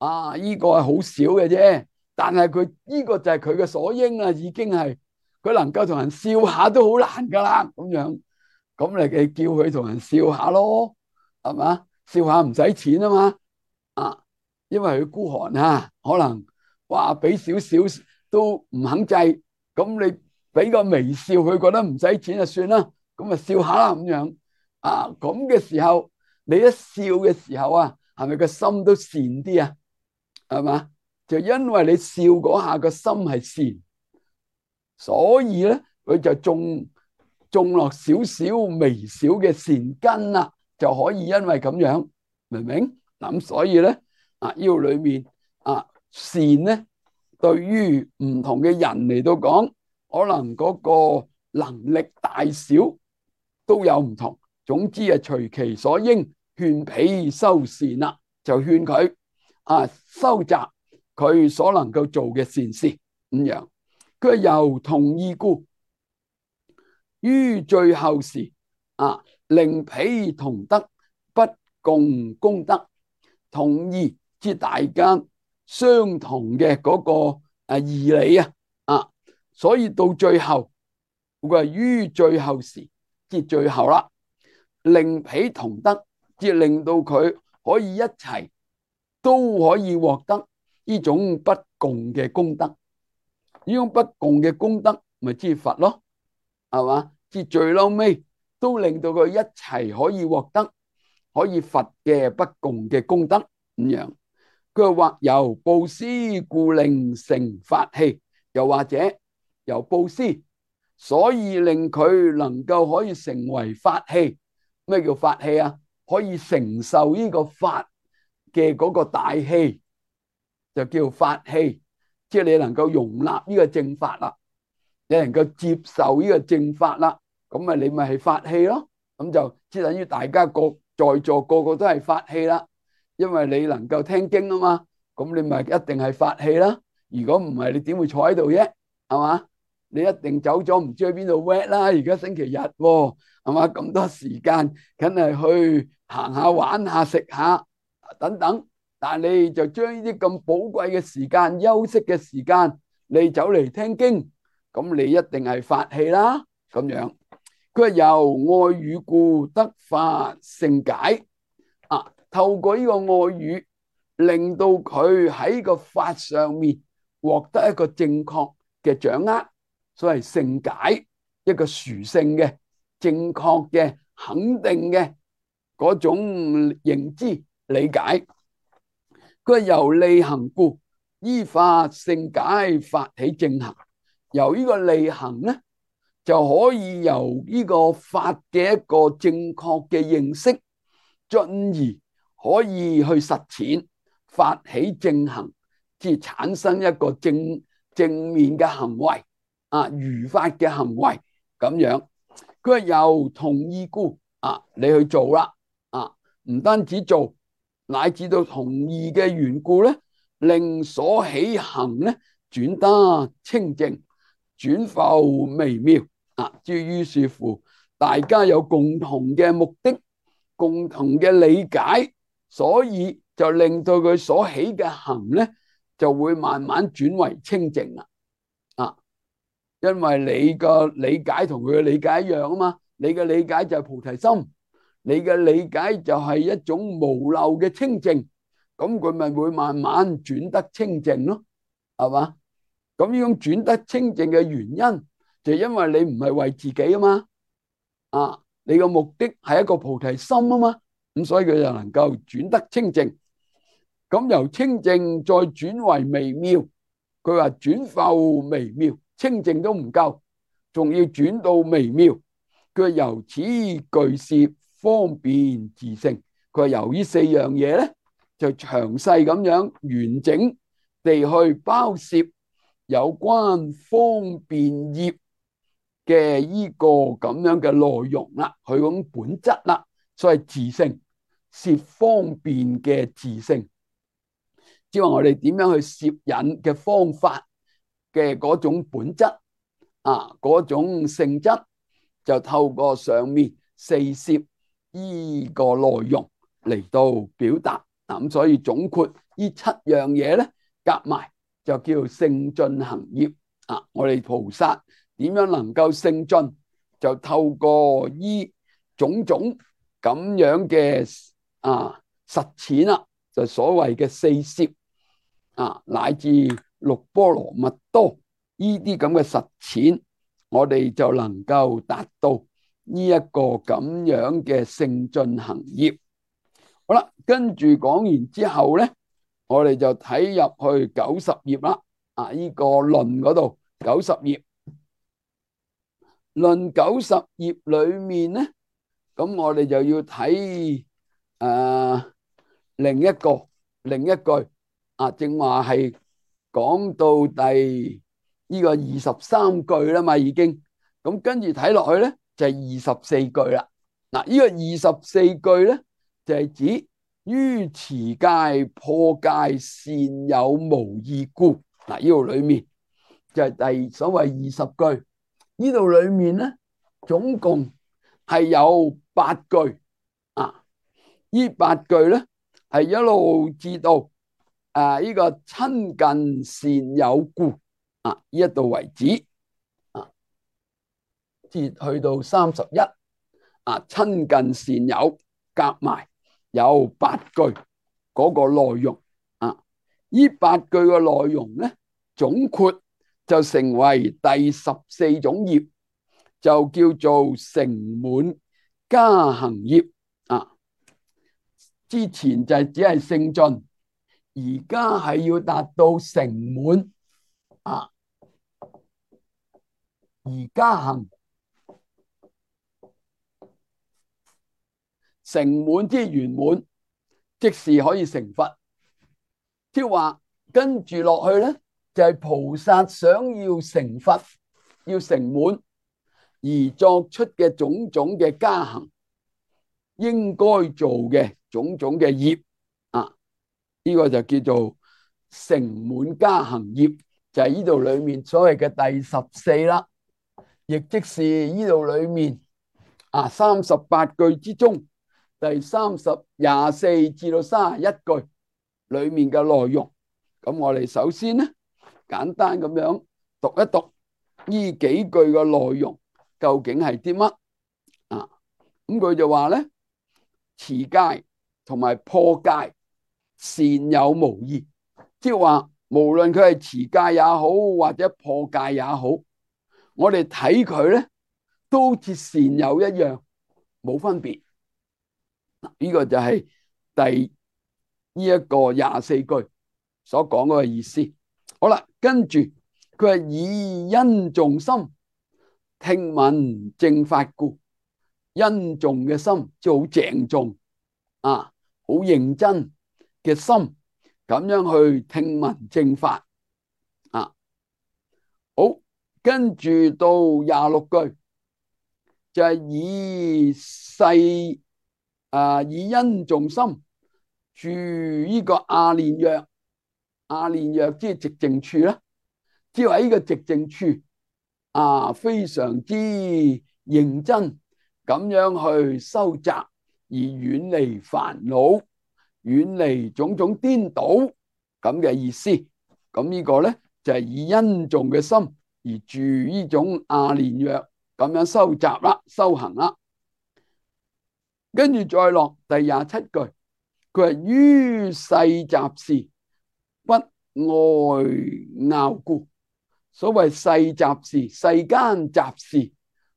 [SPEAKER 1] 呢個係好少嘅啫。但係佢呢個就係佢嘅所應啦，已經係佢能夠同人笑下都好難噶啦。咁樣，咁你叫佢同人笑下咯，係嘛？笑下唔使錢啊嘛，因為佢孤寒啊，可能話俾少少都唔肯制，咁你俾個微笑，佢覺得唔使錢就算啦，咁啊笑下啦咁樣，咁嘅時候，你一笑嘅時候啊，係咪個心都善啲啊？係嘛？就因為你笑嗰下個心係善，所以咧佢就種落少少微小嘅善根啦，就可以因為咁樣，明唔明？咁所以咧呢個裏面善咧，對於唔同嘅人嚟到講，可能嗰個能力大小都有唔同。總之隨其所應，勸彼修善啦，就勸佢收集佢所能夠做嘅善事咁樣。佢由同義故，於最後時令彼同得，不共功德。同義即大家相同嘅嗰個義理所以到最後佢係於最後時，即最後啦，令彼同得，即令到佢可以一齊都可以獲得呢種不共嘅功德。呢種不共嘅功德咪即佛咯，係嘛？即最嬲尾都令到佢一齊可以獲得可以佛嘅不共嘅功德咁樣。佢話或由布施故令成法器，又或者由布施，所以令佢能夠可以成為法器。咩叫法器啊？可以承受呢個法嘅嗰個大器，就叫法器。即係你能夠容納呢個正法啦，你能夠接受呢個正法啦，咁你咪係法器咯。咁就即等於大家在座個個都係法器啦，因為你能夠聽經啊嘛，咁你咪一定係法器啦。如果唔係，你點會坐喺度啫？係嘛？你一定走咗唔知去邊度 wet 啦。而家星期日喎，係嘛？咁多時間，梗係去行下、玩下、食下等等。但係你就將呢啲咁寶貴嘅時間、休息嘅時間，你走嚟聽經，咁你一定係法器啦。咁樣，佢係由愛語故得法勝解透過呢個愛語，令到佢喺個法上面獲得一個正確嘅掌握，所謂勝解，一個殊勝嘅、正確嘅、肯定嘅嗰種認知理解。佢係由利行故，依法勝解，發起正行。由呢個利行咧，就可以由呢個法嘅一個正確嘅認識，進而可以去實踐，發起正行，即係產生一個正面嘅行為如法嘅行為咁樣。佢係由同義故你去做啦唔單止做，乃至到同義嘅緣故咧，令所起行咧轉得清淨，轉浮微妙於是乎，大家有共同嘅目的，共同嘅理解，所以就令到佢所起嘅行咧，就會慢慢轉為清淨啦因為你個理解同佢嘅理解一樣啊嘛，你嘅理解就係菩提心，你嘅理解就係一種無漏嘅清淨，咁佢咪會慢慢轉得清淨咯，係嘛？咁呢種轉得清淨嘅原因，就因為你唔係為自己啊嘛，你個目的係一個菩提心啊嘛，咁所以佢就能夠轉得清淨。咁由清淨再轉為微妙，佢話轉浮微妙，清淨都唔夠，仲要轉到微妙。佢由此具攝方便自性，佢話由呢四樣嘢咧，就詳細咁樣完整地去包攝有關方便業嘅呢個咁樣嘅內容啦，佢講本質啦，所謂自性。攝方便嘅自性，即係話我哋點樣去攝引嘅方法嘅嗰種本質嗰種性質，就透過上面四攝呢個內容嚟到表達。咁所以總括呢七樣嘢咧，夾埋就叫聖進行業。我哋菩薩點樣能夠聖進，就透過呢種種咁樣嘅實踐啦，就所謂嘅四攝乃至六波羅蜜多呢啲咁嘅實踐，我哋就能夠達到呢一個咁樣嘅聖進行業。好啦，跟住講完之後咧，我哋就睇入去90頁啦。呢個論嗰度90頁，論90頁裏面咧，咁我哋就要睇另一句正話係講到第呢個23句啦嘛，已經咁跟住睇落去咧就係24句啦。呢個24句咧就係指於持戒破戒善有無異故。呢度裏面就係所謂20句，呢度裏面咧總共係有8句呢8句咧係一路至到呢個親近善有故呢一度為止至去到31親近善友，夾埋有8句嗰個內容呢8句嘅內容咧總括就成為第14種業，就叫做成滿加行業之前就只係聖進，而家係要達到成滿而加行。成滿之圓滿，即是可以成佛。即係話跟住落去咧，就係菩薩想要成佛、要成滿而作出嘅種種嘅加行，應該做嘅種種嘅業呢個就叫做成滿加行業，就係呢度裏面所謂嘅第14啦，亦即是呢度裏面38句之中第24至到31句裏面嘅內容。咁我哋首先咧簡單咁樣讀一讀呢幾句嘅內容究竟係啲乜咁佢就話咧，持戒同埋破戒善有無異，即係話無論佢係持戒也好或者破戒也好，我哋睇佢咧都好似善有一樣，冇分別。呢個就係第呢一個24句所講嗰個意思。好啦，跟住佢係以殷重心聽聞正法故，殷重嘅心即係好鄭重好認真嘅心，咁樣去聽聞正法好，跟住到26句就係以殷重心住呢個阿練若，阿練若即係寂靜處啦，即係話呢個寂靜處非常之認真咁樣去收集，而遠離煩惱，遠離種種顛倒咁嘅意思。咁呢個咧就係以殷重嘅心而住呢種阿練若咁樣收集啦、修行啦。跟住再落第27句，佢係於世雜事不愛拗故。所謂世雜事，世間雜事，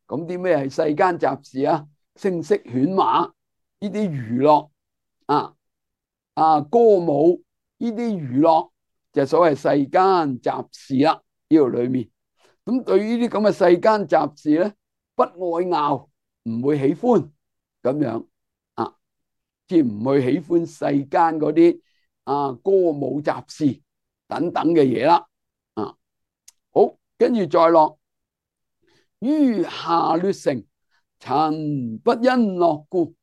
[SPEAKER 1] 咁啲咩係世間雜事啊？聲色犬馬呢啲娛樂歌舞呢啲娛樂就所謂世間雜事啦。呢度裏面咁對於呢啲咁嘅世間雜事咧，不愛拗，唔會喜歡咁樣即係唔去喜歡世間嗰啲歌舞雜事等等嘅嘢啦。好，跟住再落於下劣乘，曾不因樂故，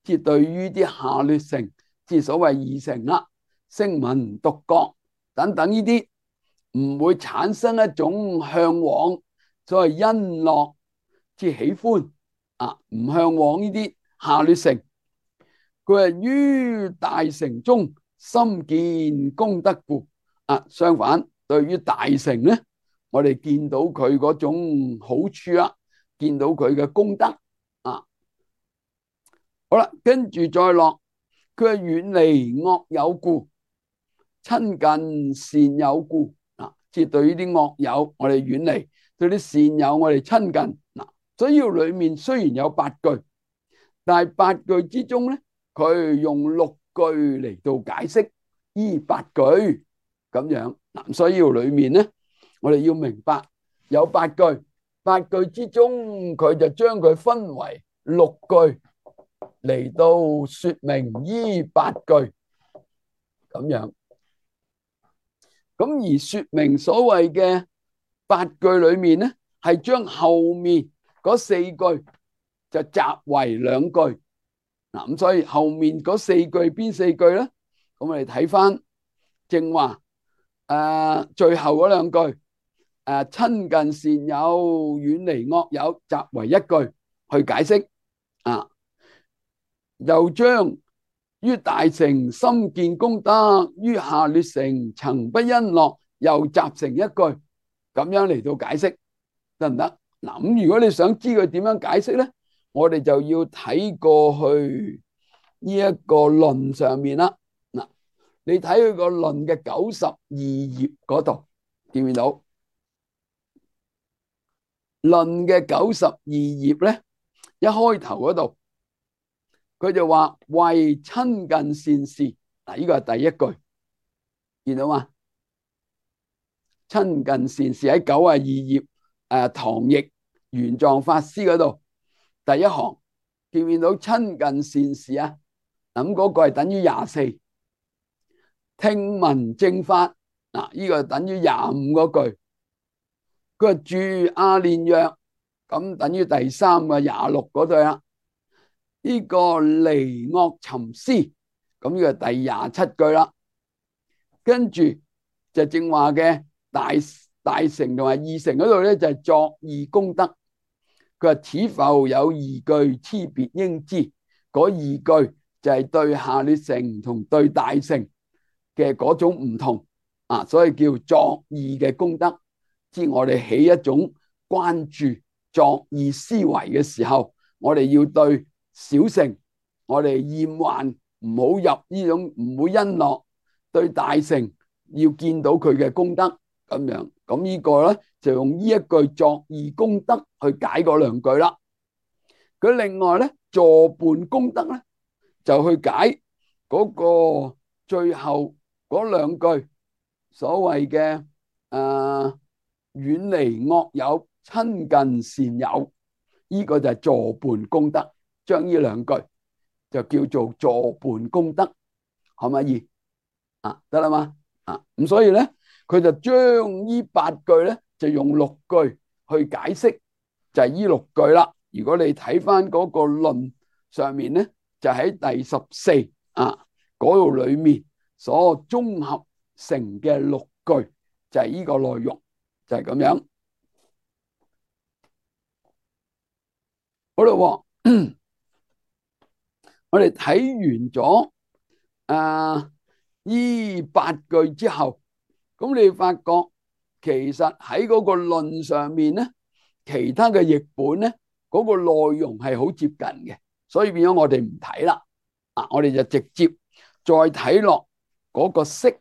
[SPEAKER 1] 即係對於啲下劣乘，即係所謂二乘啦、聲聞、獨覺等等呢啲，唔會產生一種向往，所謂欣樂，即係喜歡唔向往呢啲下劣乘。佢係於大乘中深見功德故。相反，對於大乘咧，我哋見到佢嗰種好處啦，見到佢嘅功德好啦，跟住再落，佢係遠離惡友故，親近善友故。即係對於啲惡友，我哋遠離；對啲善友，我哋親近。所以裏面雖然有8句，但係8句之中咧，佢用6句嚟到解釋呢8句咁樣。所以裏面咧，我哋要明白有8句，8句之中佢就將佢分為6句嚟到說明呢8句咁樣。咁而說明所謂嘅8句裏面咧，係將後面嗰4句就集為2句。咁所以後面嗰4句邊4句咧？咁我哋睇翻正話最後嗰2句親近善友，遠離惡友，集為1句去解釋。又將於大乘深見功德，於下劣乘曾不欣樂，又集成1句咁樣嚟到解釋，得唔得？咁如果你想知佢點樣解釋咧，我哋就要睇過去呢一個論上面啦。你睇佢個論嘅92頁嗰度，見唔見到？論嘅92頁咧，一開頭嗰度，佢就話為親近善事。呢個係第1句，見到嘛？親近善事喺92頁唐譯玄奘法師嗰度第1行，見唔見到親近善事啊？咁嗰個係等於24。聽聞正法，呢個等於25嗰句。佢話住阿練若，咁等於第3個26嗰句啦。呢個離惡尋思，咁呢個第27句啦。跟住就正話嘅大乘同埋二乘嗰度咧，就係作意功德。佢話此復有2句，差別應知。嗰2句就係對下劣乘同對大乘嘅嗰種唔同所以叫作意嘅功德。即我哋起一種關注作意思維嘅時候，我哋要對小乘我哋厭患，唔好入呢種，唔好欣樂；對大乘要見到佢嘅功德咁樣。咁呢個咧就用呢一句作意功德去解嗰2句啦。佢另外咧助伴功德咧就去解嗰個最後嗰2句所謂嘅遠離惡友，親近善友。呢個就係助伴功德，將呢2句就叫做助伴功德，可唔可以得啦嘛？咁所以咧佢就將呢8句咧就用6句去解釋，就係呢6句啦。如果你睇翻嗰個論上面咧，就喺第14嗰度裏面所綜合成嘅6句，就係呢個內容，就係咁樣。好啦，我哋睇完咗呢8句之後，咁你發覺其實喺嗰個論上面咧，其他嘅譯本咧嗰個內容係好接近嘅，所以變咗我哋唔睇啦。我哋就直接再睇落嗰個釋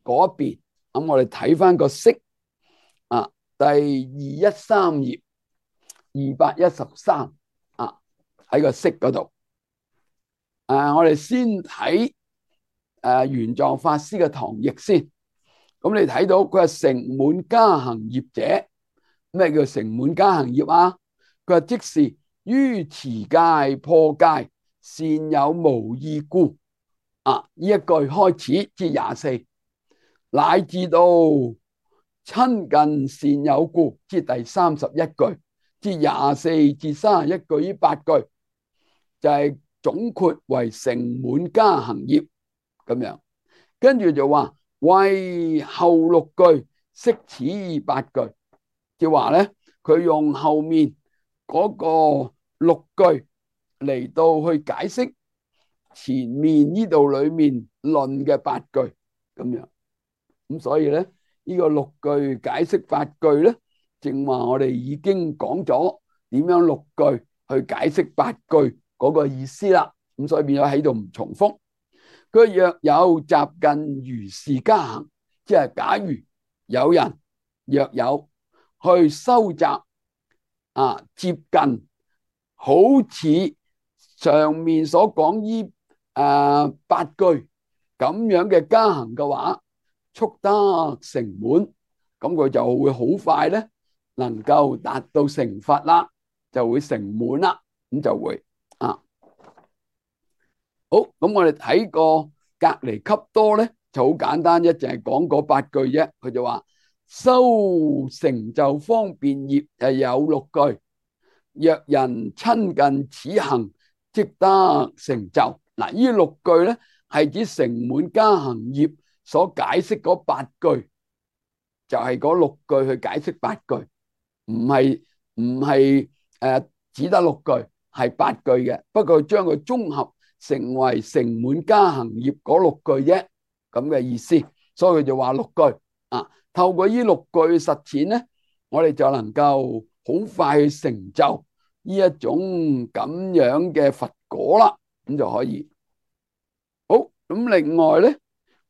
[SPEAKER 1] 嗰邊。咁我哋睇翻個釋第213頁213喺個釋嗰度。我哋先睇玄奘法師嘅唐譯先。咁你睇到佢係成滿加行業者。咩叫成滿加行業啊？佢話即是於持戒破戒，善友無異故。呢一句開始至24，乃至到親近善友故，至第31句，至24至31句呢8句，就係總括為成滿加行業咁樣。跟住就話為後六句釋此八句，即係話咧，佢用後面嗰個六句嚟到去解釋前面呢度裏面論嘅八句咁樣。咁所以咧，呢個六句解釋八句咧，正話我哋已經講咗點樣六句去解釋八句嗰個意思啦。咁所以變咗喺度唔重複。佢若有集近如是加行，即係假如有人若有去收集接近好似上面所講呢八句咁樣嘅加行嘅話，速得成滿，咁佢就會好快咧，能夠達到成佛啦，就會成滿啦，咁就會好。咁我哋睇個隔離級多咧，就好簡單，一淨係講嗰八句啫。佢就話修成就方便業係有六句，若人親近此行，即得成就。嗱，呢六句咧係指成滿加行業所解釋嗰八句，就係嗰六句去解釋八句，唔係只得六句，係八句嘅。不過將佢綜合成為成滿加行業嗰六句啫，咁嘅意思。所以佢就話六句透過呢六句實踐咧，我哋就能夠好快去成就呢一種咁樣嘅佛果啦，咁就可以。好，咁另外咧，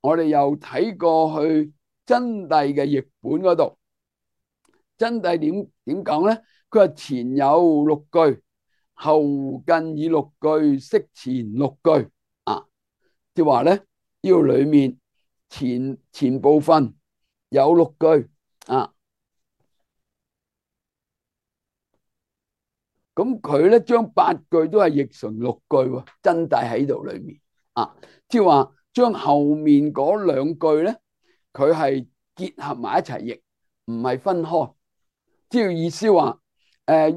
[SPEAKER 1] 我哋又睇過去真諦嘅譯本嗰度，真諦點講咧？佢話前有六句，後近以六句釋前六句即係話咧，呢個裏面前部分有六句咁佢咧將八句都係譯成六句喎，真諦喺度裏面即係話將後面嗰兩句咧，佢係結合埋一齊譯，唔係分開。即係意思話，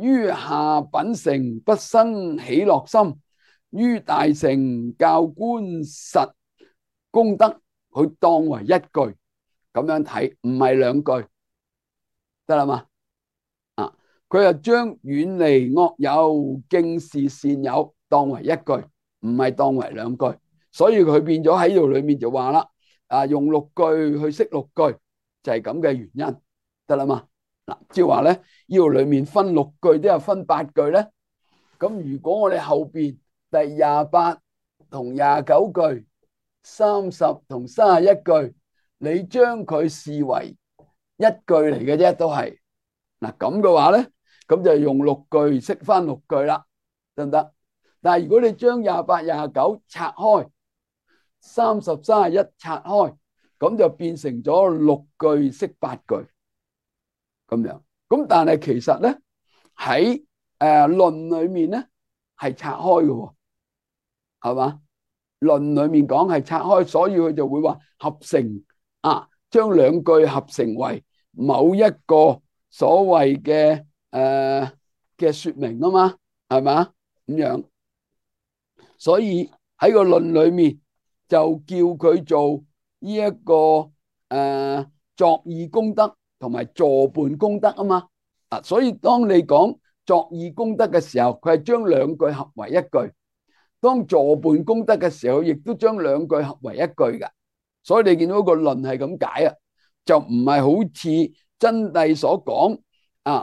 [SPEAKER 1] 於下品乘不生喜樂心，於大乘教觀實功德，佢當為一句咁樣睇，唔係兩句，得啦嘛？佢又將遠離惡友敬事善友當為一句，唔係當為兩句，所以佢變咗喺度裏面就話啦，用六句去釋六句，就係咁嘅原因，得啦嘛？嗱，即係話咧，呢度裏面分六句都有分八句咧。咁如果我哋後邊第28同29句、30同31句，你將佢視為一句嚟嘅啫，都係嗱咁嘅話咧，咁就用六句釋翻六句啦，得唔得？但係如果你將28、29拆開，30、31拆開，咁就變成咗六句釋八句咁樣。咁但係其實咧喺論裏面咧係拆開嘅，係嘛？論裏面講係拆開，所以佢就會話合成將兩句合成為某一個所謂嘅說明啊嘛，係嘛咁樣？所以喺個論裏面就叫佢做呢一個作意功德同埋助伴功德啊嘛。所以當你講作意功德嘅時候，佢係將兩句合為一句；當助伴功德嘅時候，亦都將兩句合為一句嘅。所以你見到個論係咁解就唔係好似真諦所講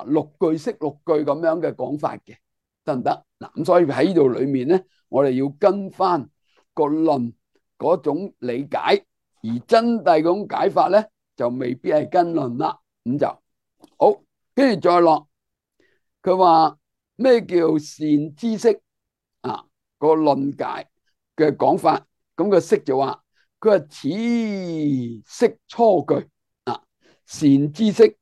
[SPEAKER 1] 六句釋六句咁樣嘅講法嘅，得唔得？嗱，咁所以喺呢度裏面咧，我哋要跟翻個論嗰種理解，而真諦嗰種解法咧就未必係跟論啦。咁就好，跟住再落，佢話咩叫善知識個論解嘅講法，咁個釋就話佢話此釋初句善知識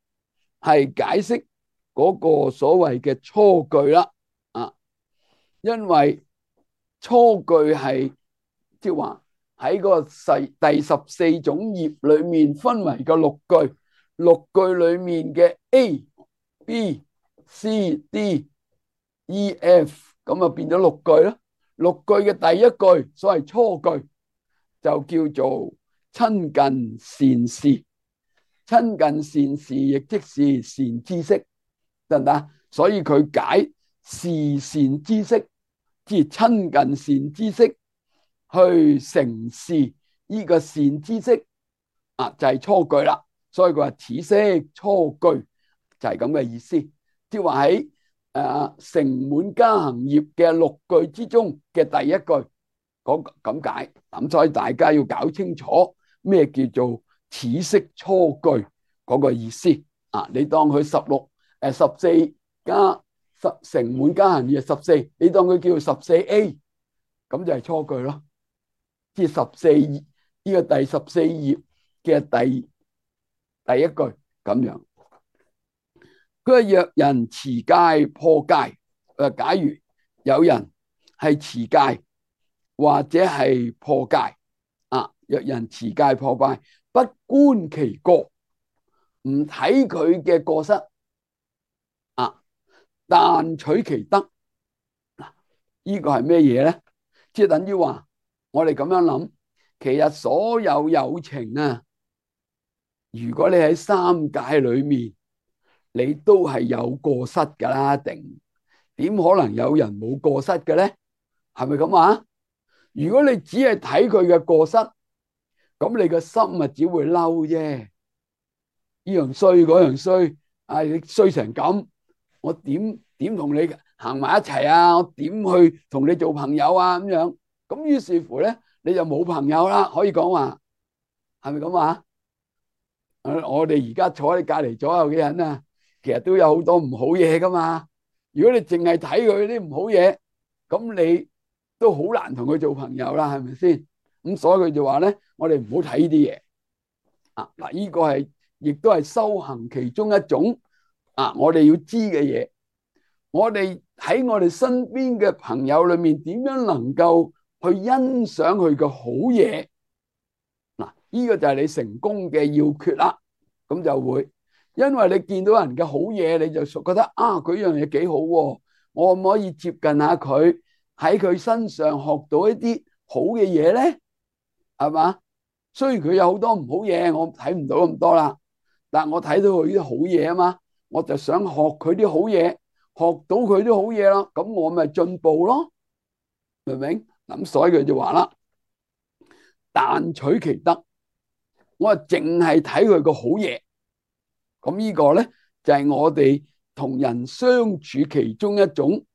[SPEAKER 1] 係解釋嗰個所謂嘅初句啦因為初句係即係話喺個第14種業裏面分為個六句，六句裏面嘅 A、B、C、D、E、F 咁啊變咗六句咯。6句嘅第一句，所謂初句，就叫做親近善事。親近善事，亦即是善知識，得唔得？所以佢解是善知識，即係親近善知識，去成事呢個善知識就係初句啦。所以佢話此識初句就係咁嘅意思，即係話喺成滿加行業嘅6句之中嘅第一句咁解。咁所以大家要搞清楚咩叫做此識初句嗰個意思你當佢14加成滿加行業14，你當佢叫 14A， 咁就係初句咯。即係14呢個第14頁嘅第一句咁樣。佢話若人持戒破戒，假如有人係持戒或者係破戒若人持戒破戒，不觀其過，唔睇佢嘅過失但取其德。呢個係咩嘢咧？即係等於話我哋咁樣諗，其實所有有情如果你喺三界裏面，你都係有過失噶啦，定點可能有人冇過失嘅咧？係咪咁啊？如果你只係睇佢嘅過失，咁你個心只會嬲啫。呢樣衰嗰樣衰，你衰成咁，我點同你行埋一齊啊？我點去同你做朋友啊？咁樣咁於是乎咧，你就冇朋友啦。可以講話係咪咁啊？我哋而家坐喺隔籬左右嘅人其實都有好多唔好嘢噶嘛。如果你淨係睇佢啲唔好嘢，咁你都好難同佢做朋友啦，係咪先？咁所以佢就話咧，我哋唔好睇呢啲嘢嗱，呢個係亦都係修行其中一種我哋要知嘅嘢。我哋喺我哋身邊嘅朋友裏面，點樣能夠去欣賞佢嘅好嘢？呢個就係你成功嘅要訣啦。咁就會，因為你見到人嘅好嘢，你就覺得佢樣嘢幾好喎，我可唔可以接近下佢，喺佢身上學到一啲好嘅嘢咧？係嘛？雖然佢有好多唔好嘢，我睇唔到咁多啦，但我睇到佢啲好嘢啊嘛，我就想學佢啲好嘢，學到佢啲好嘢咯，咁我咪進步咯，明唔明？咁所以佢就話啦，但取其德。我淨係睇佢個好嘢，咁呢個咧就係我哋同人相處其中一種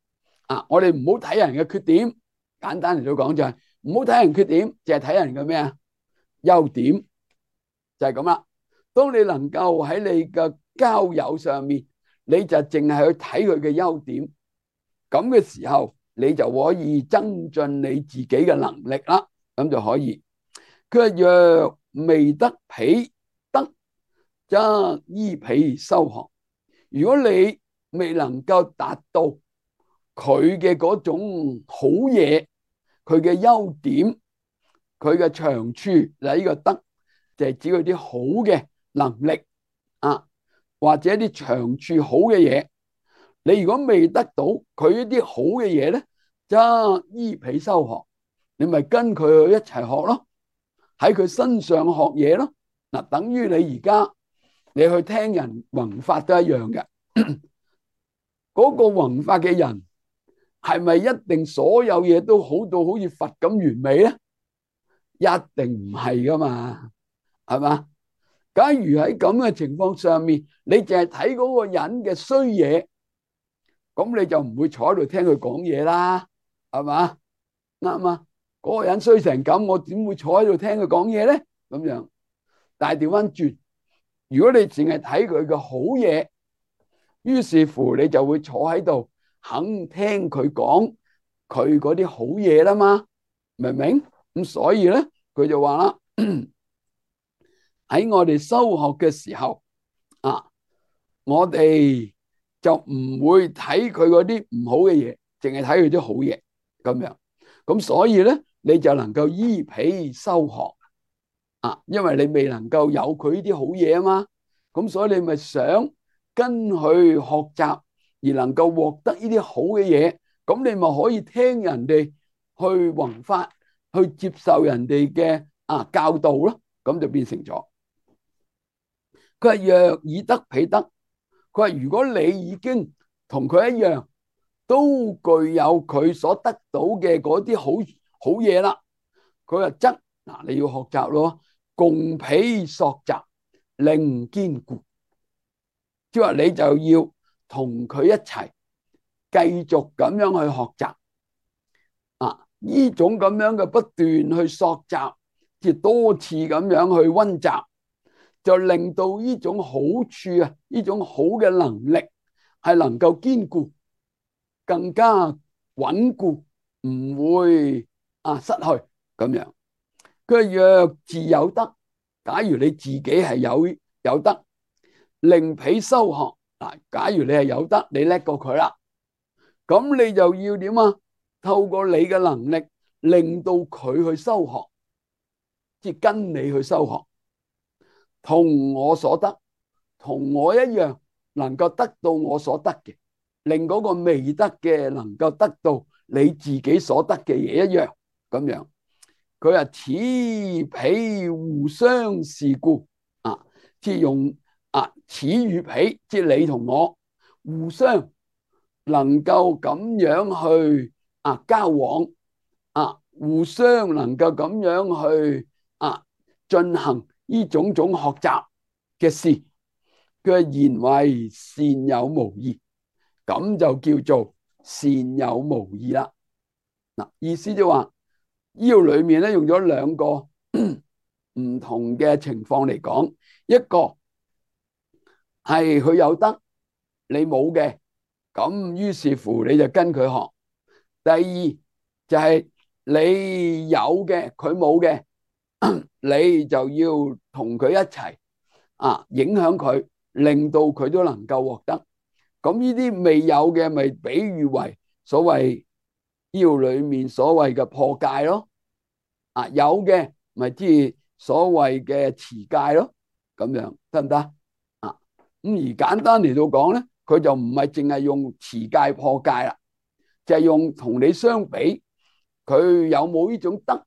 [SPEAKER 1] 我哋唔好睇人嘅缺點，簡單嚟到講就係唔好睇人缺點，淨係睇人嘅咩優點，就係咁啦。當你能夠喺你嘅交友上面，你就淨係去睇佢嘅優點，咁嘅時候你就可以增進你自己嘅能力啦，咁就可以。佢話若未得彼德，則依彼修學。如果你未能夠達到佢嘅嗰種好嘢，佢嘅優點，佢嘅長處，嗱，呢個德就係指佢啲好嘅能力或者啲長處好嘅嘢。你如果未得到佢一啲好嘅嘢咧，則依彼修學，你咪跟佢去一齊學咯。喺佢身上學嘢咯，等於你而家你去聽人弘法都一樣嘅。嗰個弘法嘅人係咪一定所有嘢都好到好似佛咁完美咧？一定唔係噶嘛，係嘛？假如喺咁嘅情況上面，你淨係睇嗰個人嘅衰嘢，咁你就唔會坐喺度聽佢講嘢啦，係嘛？啱啊！嗰個人衰成咁，我點會坐喺度聽佢講嘢咧？咁樣，但係調翻轉，如果你淨係睇佢嘅好嘢，於是乎你就會坐喺度肯聽佢講佢嗰啲好嘢啦嘛，明唔明？咁所以咧，佢就話啦，喺我哋修學嘅時候我哋就唔會睇佢嗰啲唔好嘅嘢，淨係睇佢啲好嘢咁樣。咁所以咧，你就能夠依彼修學因為你未能夠有佢呢啲好嘢啊嘛，咁所以你咪想跟佢學習，而能夠獲得呢啲好嘅嘢，咁你咪可以聽人哋去弘法，去接受人哋嘅教導咯，咁就變成咗。佢話若以德彼德，佢話如果你已經同佢一樣，都具有佢所得到嘅嗰啲好嘢啦，佢話則嗱你要學習咯，共彼索習，令堅固。即係話你就要同佢一齊繼續咁樣去學習呢種咁樣嘅不斷去索習，即係多次咁樣去溫習，就令到呢種好處呢種好嘅能力係能夠堅固，更加穩固，唔會失去咁樣。佢若自有德，假如你自己係有德，令彼修學嗱，假如你係有德，你叻過佢啦，咁你就要點啊？透過你嘅能力，令到佢去修學，即係跟你去修學，同我所得，同我一樣，能夠得到我所得嘅，令嗰個未得嘅能夠得到你自己所得嘅嘢一樣咁樣。佢話此彼互相是故即係用此與彼，即係你同我互相能夠咁樣去交往互相能夠咁樣去進行呢種種學習嘅事，佢話言為善有無異，咁就叫做善有無異啦。意思就話呢度裏面咧用咗兩個唔同嘅情況嚟講，一個係佢有得你冇嘅，咁於是乎你就跟佢學。第二就係你有嘅佢冇嘅，你就要同佢一齊影響佢，令到佢都能夠獲得。咁呢啲未有嘅咪比喻為所謂呢裏面所謂嘅破戒咯，有嘅咪即係所謂嘅持戒咯，咁樣得唔得？咁而簡單嚟到講咧，佢就唔係淨係用持戒破戒啦，就係用同你相比，佢有冇呢種德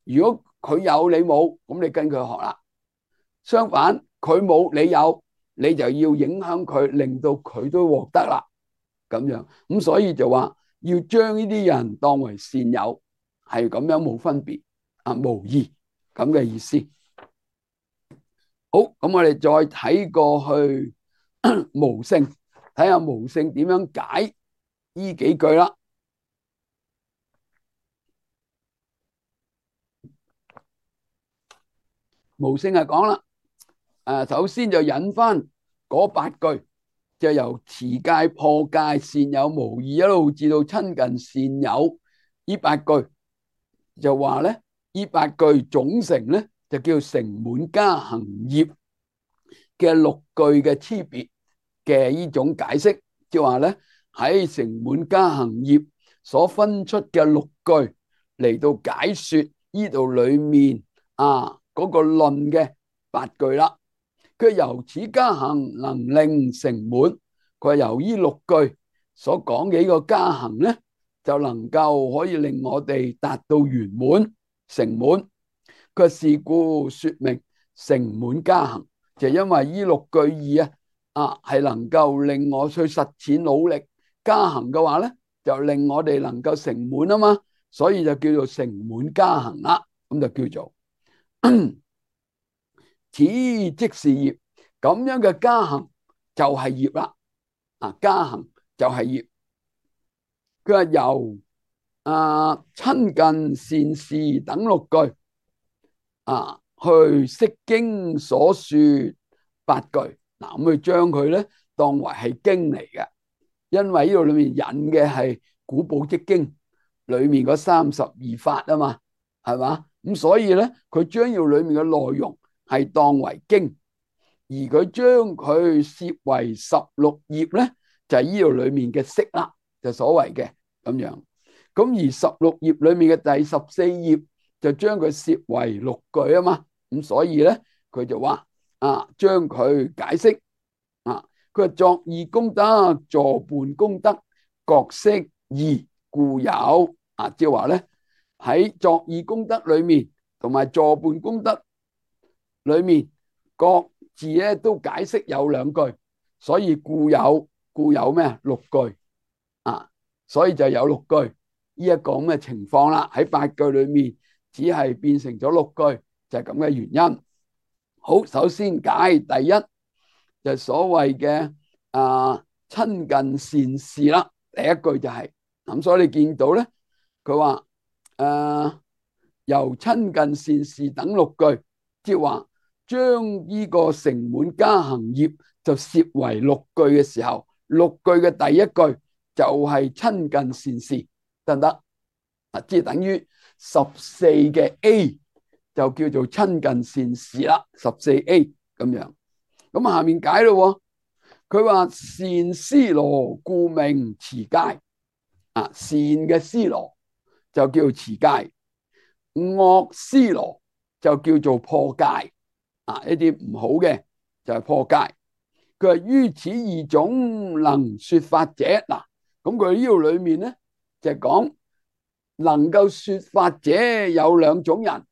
[SPEAKER 1] 如果佢有你冇，咁你跟佢學啦。相反，佢冇你有，你就要影響佢，令到佢都獲得啦。咁樣咁所以就話要將呢啲人當為善友，係咁樣冇分別無異咁嘅意思。好，咁我哋再睇過去無聖，睇下無聖點樣解呢幾句啦。無聖係講啦，首先就引翻嗰8句，就由持戒破戒善有無異一路至到親近善友呢8句，就話咧呢8句總成咧就叫成滿加行業嘅6句嘅差別嘅呢種解釋，即係話咧喺成滿加行業所分出嘅6句嚟到解說呢度裏面嗰個論嘅8句啦。佢由此加行能令成滿，佢由呢6句所講嘅呢個加行咧，就能夠可以令我哋達到圓滿成滿。佢是故說明成滿加行，就因為呢6句義係能夠令我去實踐努力加行嘅話咧，就令我哋能夠成滿啊嘛，所以就叫做成滿加行啦。咁就叫做此即是業，咁樣嘅加行就係業啦。加行就係業。佢話由親近善事等6句去釋經所說8句，咁去將佢咧當為係經嚟嘅，因為呢度裏面引嘅係古寶積經裏面嗰32法啊嘛，係嘛？咁所以咧佢將要裏面嘅內容係當為經，而佢將佢攝為16頁咧，就係呢度裏面嘅釋啦，就所謂嘅咁樣。咁而16頁裏面嘅第14頁就將佢攝為6句啊嘛，咁所以咧佢就話將佢解釋佢話作意功德，助伴功德，各適義故有即係話咧喺作義功德裏面同埋助伴功德裏面各自咧都解釋有兩句，所以故有咩六句所以就有六句呢一個咁嘅情況啦。喺八句裏面只係變成咗六句，就係咁嘅原因。好，首先解第一就係所謂嘅親近善士啦。第一句就係咁，所以你見到咧，佢話由親近善士等六句，即係話將呢個成滿加行業就攝為六句嘅時候，六句嘅第一句就係親近善士，得唔得？即係等於14嘅 A 就叫做親近善士啦，14A 咁樣。咁下面解咯，佢話善思羅故名持戒，善嘅思羅就叫做持戒，惡思羅就叫做破戒，一啲唔好嘅就係破戒。佢話於此二種能說法者，嗱，咁佢呢度裏面咧就係講能夠說法者有兩種人，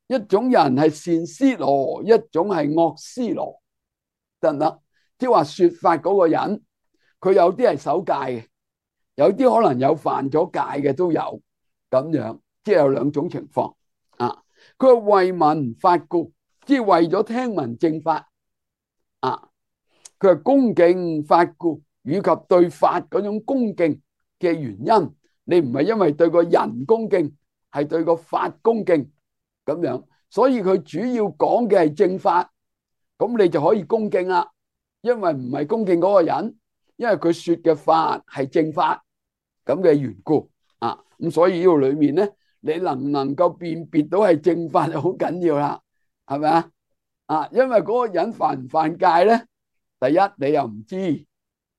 [SPEAKER 1] 一種人係善思羅，一種係惡思羅，得唔得？即係話說法嗰個人，佢有啲係守戒嘅，有啲可能有犯咗戒嘅都有，咁樣即係有兩種情況。佢話為聞法故，即係為咗聽聞正法。佢話恭敬法故，以及對法嗰種恭敬嘅原因，你唔係因為對個人恭敬，係對個法恭敬咁樣，所以佢主要講嘅係正法，咁你就可以恭敬啦。因為唔係恭敬嗰個人，因為佢說嘅法係正法咁嘅緣故咁所以呢度裏面咧，你能唔能夠辨別到係正法就好緊要啦，係咪因為嗰個人犯唔犯戒咧？第一你又唔知，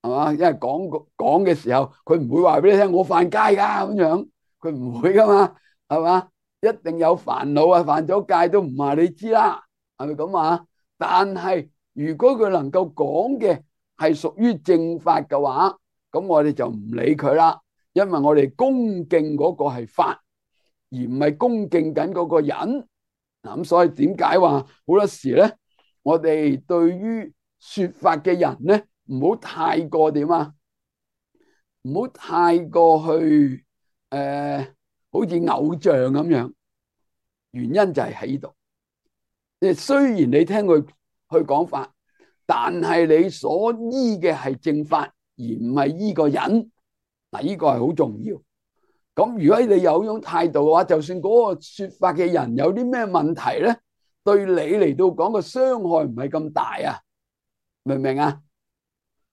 [SPEAKER 1] 係嘛？因為講嘅時候，佢唔會話俾你聽我犯戒噶咁樣，佢唔會噶嘛，係嘛？一定有煩惱犯咗戒都唔話你知啦，係咪咁但係如果佢能夠講嘅係屬於正法嘅話，咁我哋就唔理佢啦，因為我哋恭敬嗰個係法，而唔係恭敬緊嗰個人。咁所以點解話好多時咧，我哋對於說法嘅人咧，唔好太過點唔好太過去好似偶像咁樣。原因就係喺度，雖然你聽佢去講法，但係你所依嘅係正法，而唔係依個人。呢個係好重要。咁如果你有種態度嘅話，就算嗰個說法嘅人有啲咩問題咧，對你嚟到講個傷害唔係咁大明唔明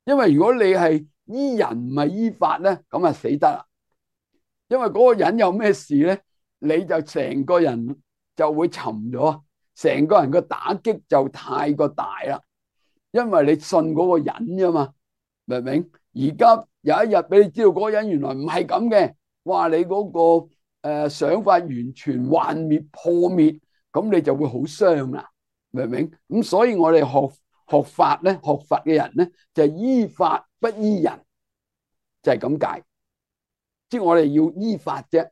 [SPEAKER 1] 因為如果你係依人唔係依法咧，咁啊死得啦。因為嗰個人有咩事咧，你就成個人就會沉咗，成個人個打擊就太過大啦。因為你信嗰個人啫嘛，明唔明？而家有一日俾你知道嗰個人原來唔係咁嘅，哇！你嗰個想法完全幻滅破滅，咁你就會好傷啦，明唔明？咁所以我哋學法咧，學佛嘅人咧，就係依法不依人，就係咁解。即係我哋要依法啫，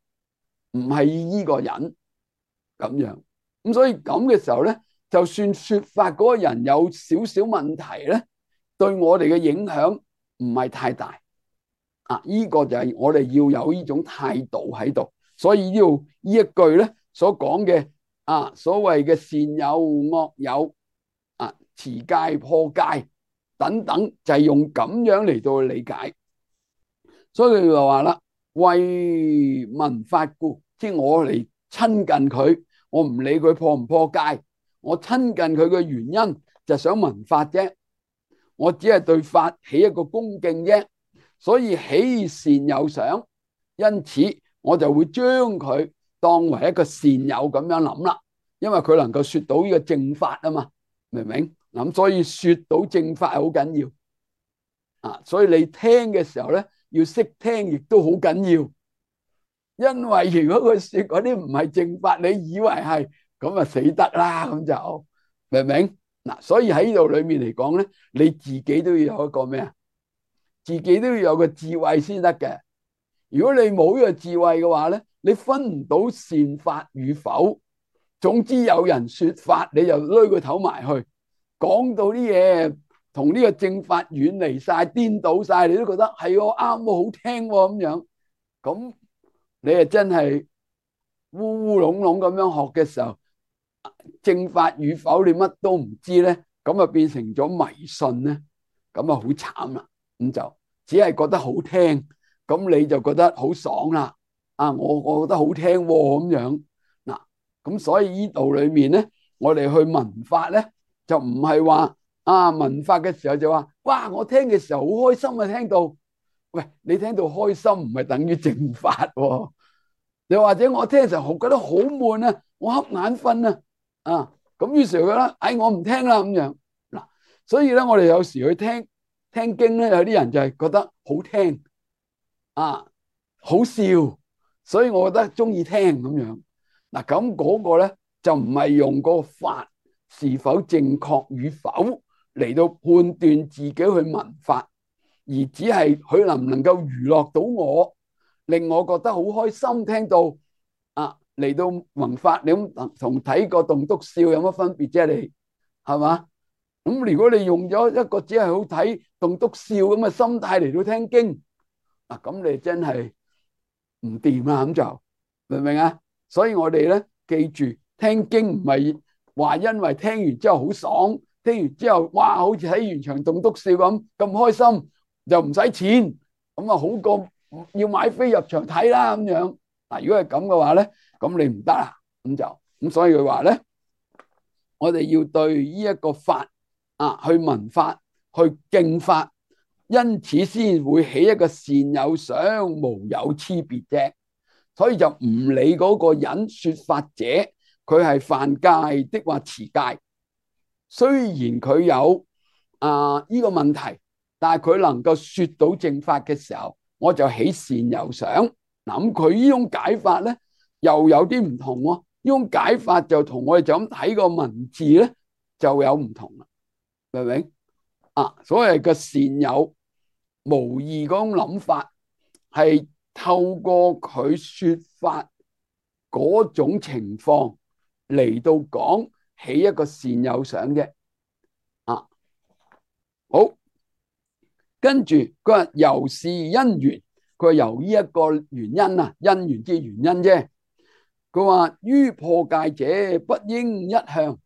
[SPEAKER 1] 唔係依個人咁樣。咁所以咁嘅時候咧，就算說法嗰個人有少少問題咧，對我哋嘅影響唔係太大。呢個就係我哋要有呢種態度喺度。所以呢一句咧所講嘅所謂嘅善有惡有持戒破戒等等，就係用咁樣嚟到理解。所以佢就話啦，為聞法故，即係我嚟親近佢，我唔理佢破唔破戒，我親近佢嘅原因就想聞法啫，我只係對法起一個恭敬啫，所以起善有想，因此我就會將佢當為一個善友咁樣諗啦，因為佢能夠說到呢個正法嘛，明唔明？咁所以說到正法係好緊要所以你聽嘅時候咧，要識聽亦都好緊要，因為如果佢說嗰啲唔係正法，你以為係咁死得啦，咁就明唔明？所以喺呢度裏面嚟講咧，你自己都要有一個咩自己都要有個智慧先得嘅。如果你冇呢個智慧嘅話咧，你分唔到善法與否。總之有人說法，你就攏個頭埋去，講到啲嘢同呢個正法遠離晒、顛倒晒，你都覺得係喎啱喎，好聽喎咁樣。咁你係真係烏烏龍龍咁樣學嘅時候，正法與否你乜都唔知咧，咁啊變成咗迷信咧，咁啊好慘啦。咁就只係覺得好聽，咁你就覺得好爽啦。啊，我覺得好聽喎咁樣嗱，咁所以呢度裏面咧，我哋去聞法咧，就唔係話啊聞法嘅時候就話，哇！我聽嘅時候好開心啊，聽到，喂，你聽到開心唔係等於正法喎。又或者我聽嘅時候覺得好悶啊，我瞌眼瞓啊，啊咁於是佢覺得，哎我唔聽啦咁樣嗱，所以咧我哋有時去聽經咧，有啲人就係覺得好聽啊，好笑，所以我覺得中意聽咁樣嗱，咁嗰個咧就唔係用個法是否正確與否嚟到判斷自己去聞法，而只係佢能唔能夠娛樂到我，令我覺得好開心，聽到啊嚟到聞法，你咁同睇個棟篤笑有乜分別啫？你係嘛？咁如果你用咗一個只係好睇棟篤笑咁嘅心態嚟到聽經，嗱咁你真係唔掂啊！咁就明唔明啊？所以我哋咧記住，聽經唔係話因為聽完之後好爽，聽完之後哇好似睇完場棟篤笑咁開心，就唔使錢，咁啊好過要買飛入場睇啦咁樣。嗱，如果係咁嘅話咧，咁你唔得啦，咁所以佢話咧，我哋要對呢一個法啊去聞法，去敬法，因此先會起一個善有想，無有差別啫。所以就唔理嗰個人說法者佢係犯戒的或持戒，雖然佢有呢個問題，但係佢能夠說到正法嘅時候，我就起善有想。嗱，咁佢呢種解法咧又有啲唔同喎。呢種解法就同我哋就咁睇個文字咧就有唔同啦，明唔明啊？所謂嘅善有無義嗰種諗法，係透過佢說法嗰種情況嚟到講起一個善有想啫。啊，好，跟住佢話由是因緣，佢話由呢一個原因啊，因緣之原因啫。佢話於破戒者不應一向，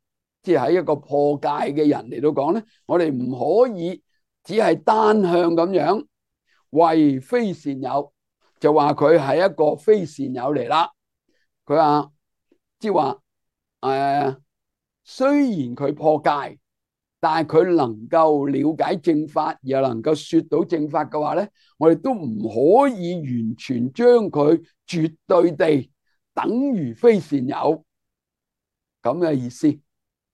[SPEAKER 1] 即係喺一個破戒嘅人嚟到講咧，我哋唔可以只係單向咁樣為非善友，就話佢係一個非善友嚟啦。佢話即係話雖然佢破戒，但係佢能夠了解正法，又能夠說到正法嘅話咧，我哋都唔可以完全將佢絕對地等於非善友咁嘅意思。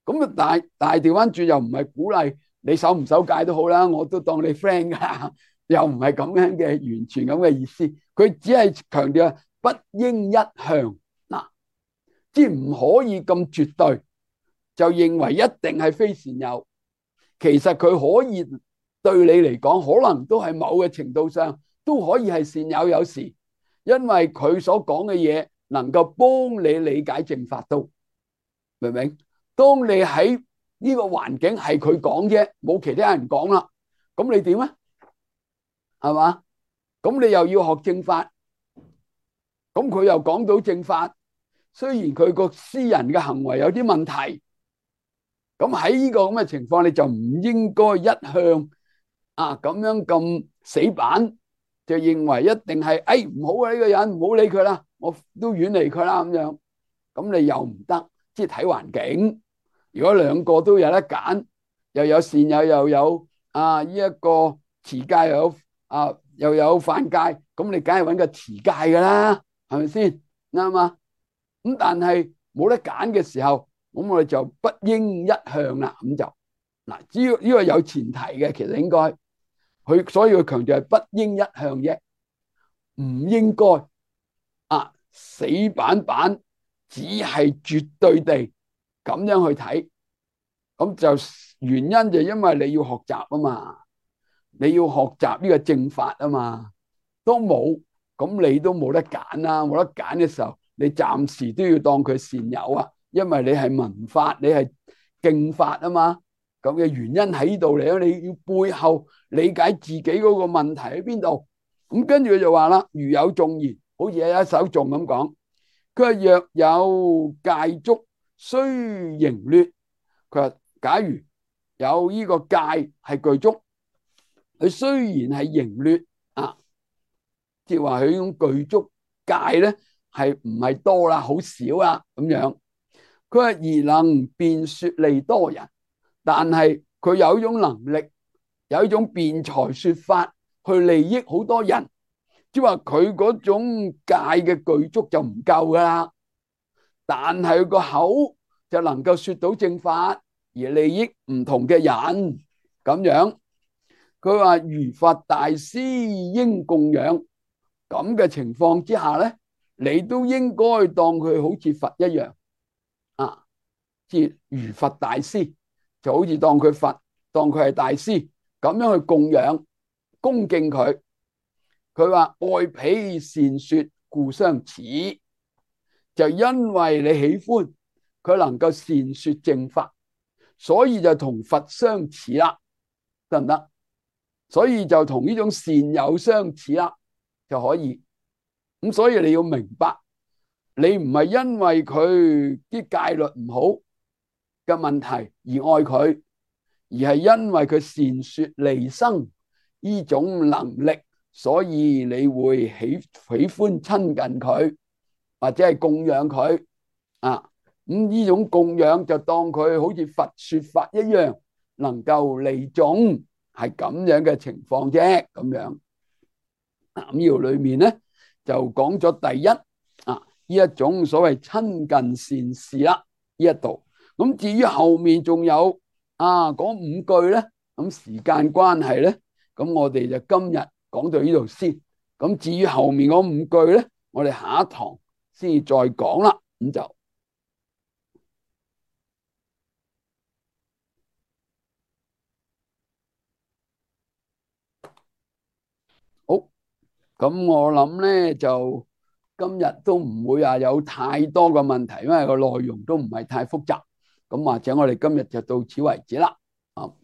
[SPEAKER 1] 咁啊，但係調翻轉又唔係鼓勵你守唔守戒都好啦，我都當你 friend 噶，又唔係咁樣嘅完全咁嘅意思。佢只係強調不應一向嗱，即係唔可以咁絕對就認為一定係非善友。其實佢可以對你嚟講，可能都係某嘅程度上都可以係善友，有時因為佢所講嘅嘢能夠幫你理解正法都，明唔明？當你喺呢個環境係佢講啫，冇其他人講啦，咁你點啊？係嘛？咁你又要學正法，咁佢又講到正法，雖然佢個私人嘅行為有啲問題，咁喺呢個咁嘅情況，你就唔應該一向咁樣咁死板，就認為一定係唔好啊，呢個人唔好理佢啦，我都遠離佢啦咁樣。咁你又唔得，即係睇環境。如果兩個都有得揀，又有善友又有呢一個持戒又有犯戒，咁你梗係揾個持戒噶啦，係咪先？啱啊。咁但係冇得揀嘅時候，咁我哋就不應一向啦。咁就嗱，只要呢個有前提嘅，其實應該所以佢強調係不應一向啫，唔應該死板板，只係絕對地咁樣去睇。咁就原因就因為你要學習啊嘛，你要學習呢個正法啊嘛，都冇咁你都冇得揀啦，冇得揀嘅時候，你暫時都要當佢善友啊，因為你係聞法，你係敬法啊嘛。咁嘅原因喺呢度嚟咯，你要背後理解自己嗰個問題喺邊度。咁跟住佢就話啦，如有頌言，好似有一首頌咁講，佢話若有戒足，須盈劣。佢話假如有呢個戒係具足，佢雖然係盈劣啊，即係話佢呢種具足戒咧係唔係多啦，好少啦咁樣。佢話而能辯說利多人，但係佢有一種能力，有一種辯才說法去利益好多人，即係話佢嗰種戒嘅具足就唔夠噶啦，但係佢個口就能夠說到正法而利益唔同嘅人咁樣。佢話如佛大師應供養，咁嘅情況之下咧，你都應該當佢好似佛一樣啊，即係如佛大師，就好似當佢佛，當佢係大師咁樣去供養恭敬佢。佢話愛彼善說故相似，就因為你喜歡佢能夠善說正法，所以就同佛相似啦，得唔得？所以就同呢種善友相似啦，就可以。咁所以你要明白，你唔係因為佢啲戒律唔好嘅問題而愛佢，而係因為佢善說利生呢種能力，所以你會喜歡親近佢，或者係供養佢啊。咁呢種供養就當佢好似佛說法一樣，能夠利眾，係咁樣嘅情況啫。咁樣咁呢度裏面咧就講咗第一啊呢一種所謂親近善事啦，呢一度。咁至於後面仲有嗰五句咧，咁時間關係咧，咁我哋就今日講到呢度先。咁至於後面嗰五句咧，我哋下一堂先至再講啦。咁就好。咁我諗咧就今日都唔會話有太多嘅問題，因為個內容都唔係太複雜。咁或者我哋今日就到此為止啦。好。